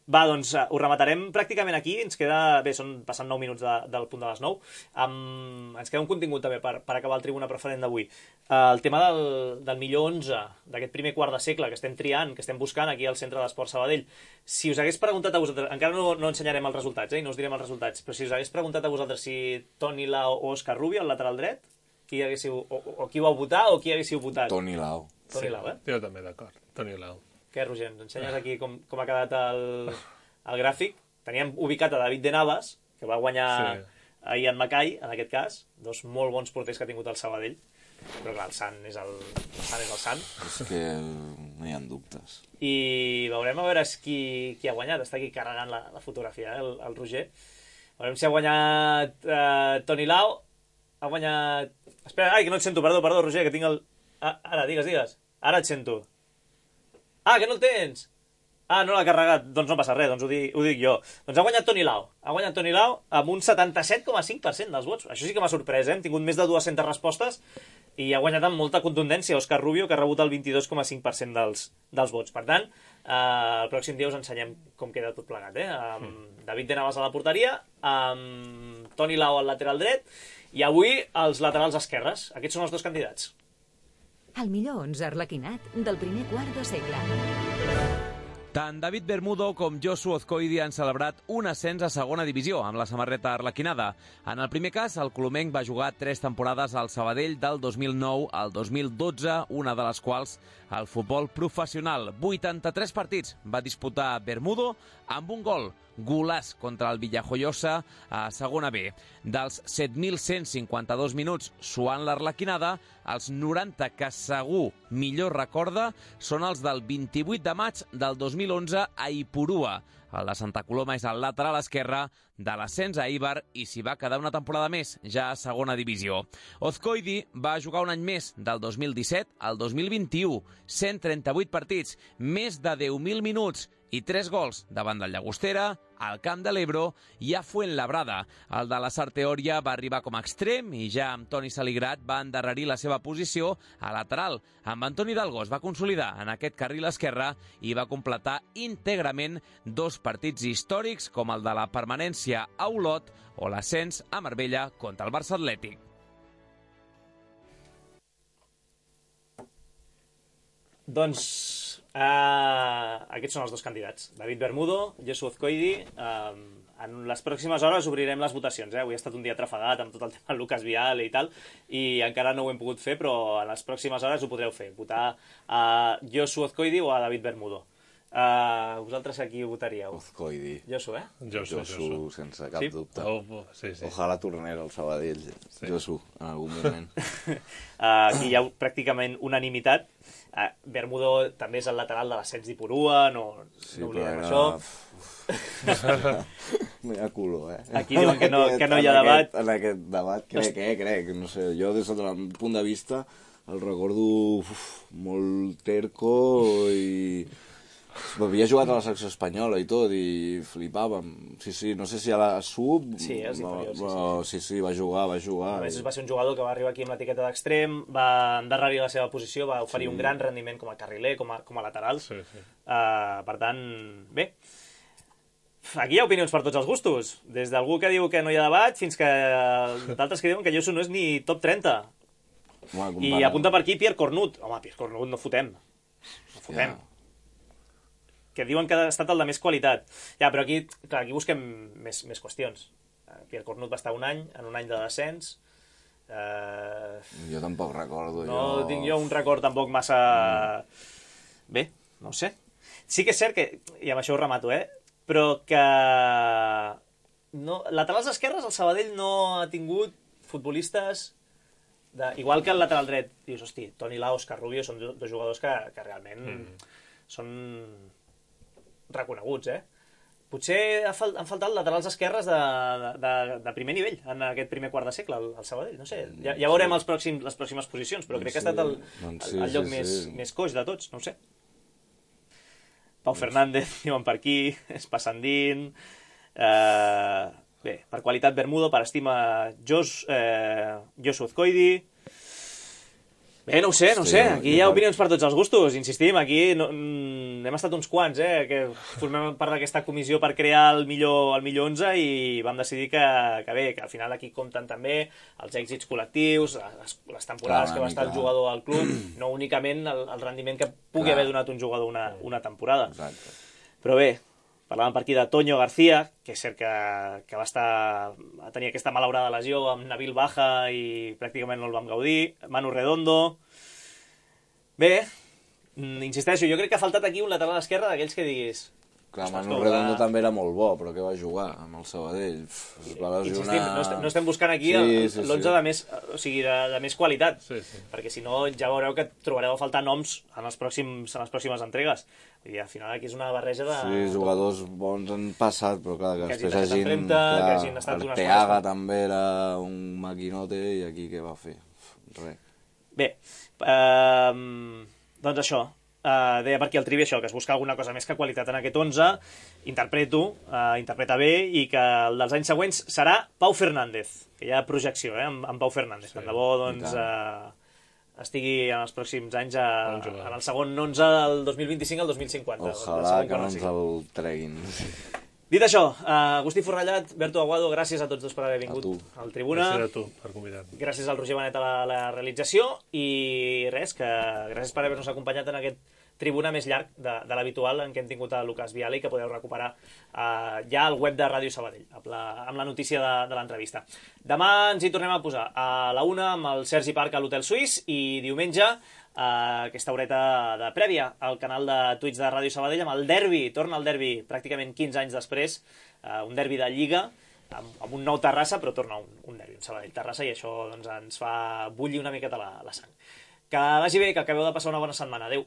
Va, doncs ho rematarem pràcticament aquí. Ens queda... Bé, passant 9 minuts del punt de les 9. Ens queda un contingut també per acabar el Tribuna Preferent d'avui. El tema del millor 11, d'aquest primer quart de segle que estem triant, que estem buscant aquí al Centre d'Esport Sabadell. Si us hagués preguntat a vosaltres, encara no ensenyarem els resultats, i no us direm els resultats, però si us hagués preguntat a vosaltres si Toni Lau o Òscar Rubio, al lateral dret, qui ho vau votar o qui haguéssiu votat? Toni Lau. Toni Lau, Jo també, d'acord. Toni Lau. Què, Roger, ens ensenyes aquí com ha quedat el gràfic? Teníem ubicat a David de Navas, que va guanyar ahir en Macai, en aquest cas, dos molt bons porters que ha tingut el Sabadell, però clar, el Sant és el Sant. És que no hi ha dubtes. I veurem a veure qui ha guanyat. Està aquí carregant la fotografia, el Roger. Veurem si ha guanyat Toni Lau. Ha guanyat... Espera, que no et sento, perdó, Roger, que tinc el... Ara, digues. Ara et sento. Que no el tens! No l'ha carregat. Doncs no passa res, doncs ho dic jo. Doncs ha guanyat Toni Lau. Ha guanyat Toni Lau amb un 77,5% dels vots. Això sí que m'ha sorprès, Hem tingut més de 200 respostes i ha guanyat amb molta contundència Òscar Rubio, que ha rebut el 22,5% dels vots. Per tant, el pròxim dia us ensenyem com queda tot plegat, David de Navas a la porteria, Toni Lau al lateral dret, i avui els laterals esquerres. Aquests són els dos candidats. El millor 11 arlequinat del primer quart de segle. Tant David Bermudo com Josu Ozcoidi han celebrat un ascens a segona divisió amb la samarreta arlequinada. En el primer cas, el colomenc va jugar 3 temporades al Sabadell del 2009 al 2012, una de les quals al futbol professional. 83 partits va disputar Bermudo amb un gol. Golaç contra el Villajoyosa a segona B. Dels 7.152 minuts suant l'Arlequinada, els 90 que segur millor recorda són els del 28 de maig del 2011 a Ipurua. El de Santa Coloma és el lateral esquerre de l'ascens a Eibar i s'hi va quedar una temporada més, ja a segona divisió. Ozcoidi va jugar un any més, del 2017 al 2021, 138 partits, més de 10.000 minuts i 3 gols davant del Llagostera, al Camp de l'Ebro i a Fuenlabrada. El de la Sarteòria va arribar com a extrem i ja amb Toni Saligrat va endarrerir la seva posició a lateral. Amb Antoni Dalgos va consolidar en aquest carril esquerre i va completar íntegrament 2 partits històrics com el de la permanència a Olot o l'ascens a Marbella contra el Barça Atlètic. Doncs aquests són els dos candidats, David Bermudo, Josu Ozcoidi. En les pròximes hores obrirem les votacions. Avui ha estat un dia trafegat amb tot el tema Lucas Vial i tal, i encara no ho hem pogut fer, però en les pròximes hores ho podreu fer, votar a Josu Ozcoidi o a David Bermudo. Vosaltres a qui votaríeu? Ozcoidi. Josu, Josu, sense cap dubte. Sí. Ojalà tornés al Sabadell. Josu, en algun moment. Aquí hi ha pràcticament unanimitat. Bermudo també és el lateral de l'ascens d'Ipurua, no oblidem això. Mira culo, Aquí diuen que no hi ha debat. En aquest debat, crec, no sé, jo des del punt de vista el recordo molt terco i... Havia jugat a la secció espanyola i tot, i flipàvem. Sí, no sé si a la sub... Sí, és inferior, sí, va jugar. A més, va ser un jugador que va arribar aquí amb l'etiqueta d'extrem, va endarrerir la seva posició, va oferir un gran rendiment com a carriler, com a lateral. Per tant, bé. Aquí hi ha opinions per tots els gustos. Des d'algú que diu que no hi ha debat fins que d'altres que diuen que Josu no és ni top 30. I apunta per aquí Pierre Cornut. Home, Pierre Cornut no fotem. Que diuen que ha estat el de més qualitat. Ja, però aquí busquem més qüestions. Pierre Cornut va estar un any de descens. Jo tampoc recordo. No tinc jo un record tampoc massa... Bé, no ho sé. Sí que és cert que, i amb això ho remato, però que... Laterals esquerres, el Sabadell no ha tingut futbolistes... Igual que el lateral dret. Dius, hosti, Toni Lau, Òscar Rubio són dos jugadors que realment són... reconeguts, Potser han faltat laterals esquerres de primer nivell en aquest primer quart de segle, al Sabadell. No sé, ja veurem les pròximes posicions, però crec que ha estat el lloc més coix de tots, no ho sé. Pau Fernández, diuen per aquí, Espassandín... Bé, per qualitat Bermudo, per estima Josu Azcoidi... Bé, no ho sé, aquí hi ha opinions per tots els gustos, insistim, aquí hem estat uns quants, que formem part d'aquesta comissió per crear el millor 11 i vam decidir que al final aquí compten també els èxits col·lectius, les temporades que va estar el jugador al club, no únicament el rendiment que pugui haver donat un jugador una temporada. Però bé, parlàvem per aquí de Toño García, que és cert que va tenir aquesta malaurada lesió amb Nabil Baja i pràcticament no el vam gaudir. Manu Redondo... Bé, insisteixo, jo crec que ha faltat aquí un lateral esquerre d'aquells que diguis... Clar, Manu Redondo també era molt bo, però què va jugar amb el Sabadell? Es va lesionar... Insistim, no estem buscant aquí l'11 de més qualitat, perquè si no ja veureu que trobareu a faltar noms en les pròximes entregues. I al final aquí és una barreja de... Sí, jugadors bons han passat, però clar, que després hagin... Arteaga també era un maquinote i aquí què va fer? Res. Bé, doncs això, deia per aquí el Trivi això, que es busca alguna cosa més que qualitat en aquest 11, interpreta bé, i que el dels anys següents serà Pau Fernández, que hi ha projecció amb Pau Fernández, tant de bo doncs estigui en els pròxims anys en el segon 11 del 2025 al 2050. Ojalà que no ens el treguin. Dit això, Agustí Forrellat, Berto Aguado, gràcies a tots dos per haver vingut al Tribuna. Gràcies a tu per convidar-me. Gràcies al Roger Benet a la realització i res, que gràcies per haver-nos acompanyat en aquest Tribuna més llarg de l'habitual en què hem tingut a Lucas Viale i que podeu recuperar ja al web de Ràdio Sabadell amb la notícia de l'entrevista. Demà ens hi tornem a posar a la 1 amb el Sergi Parc a l'Hotel Suís i diumenge aquesta horeta de prèvia al canal de Twitch de Ràdio Sabadell amb el derbi, torna el derbi pràcticament 15 anys després, un derbi de Lliga amb un nou Terrassa, però torna un derbi, un Sabadell-Terrassa, i això doncs, ens fa bullir una miqueta la sang. Que vagi bé, que acabeu de passar una bona setmana. Adéu.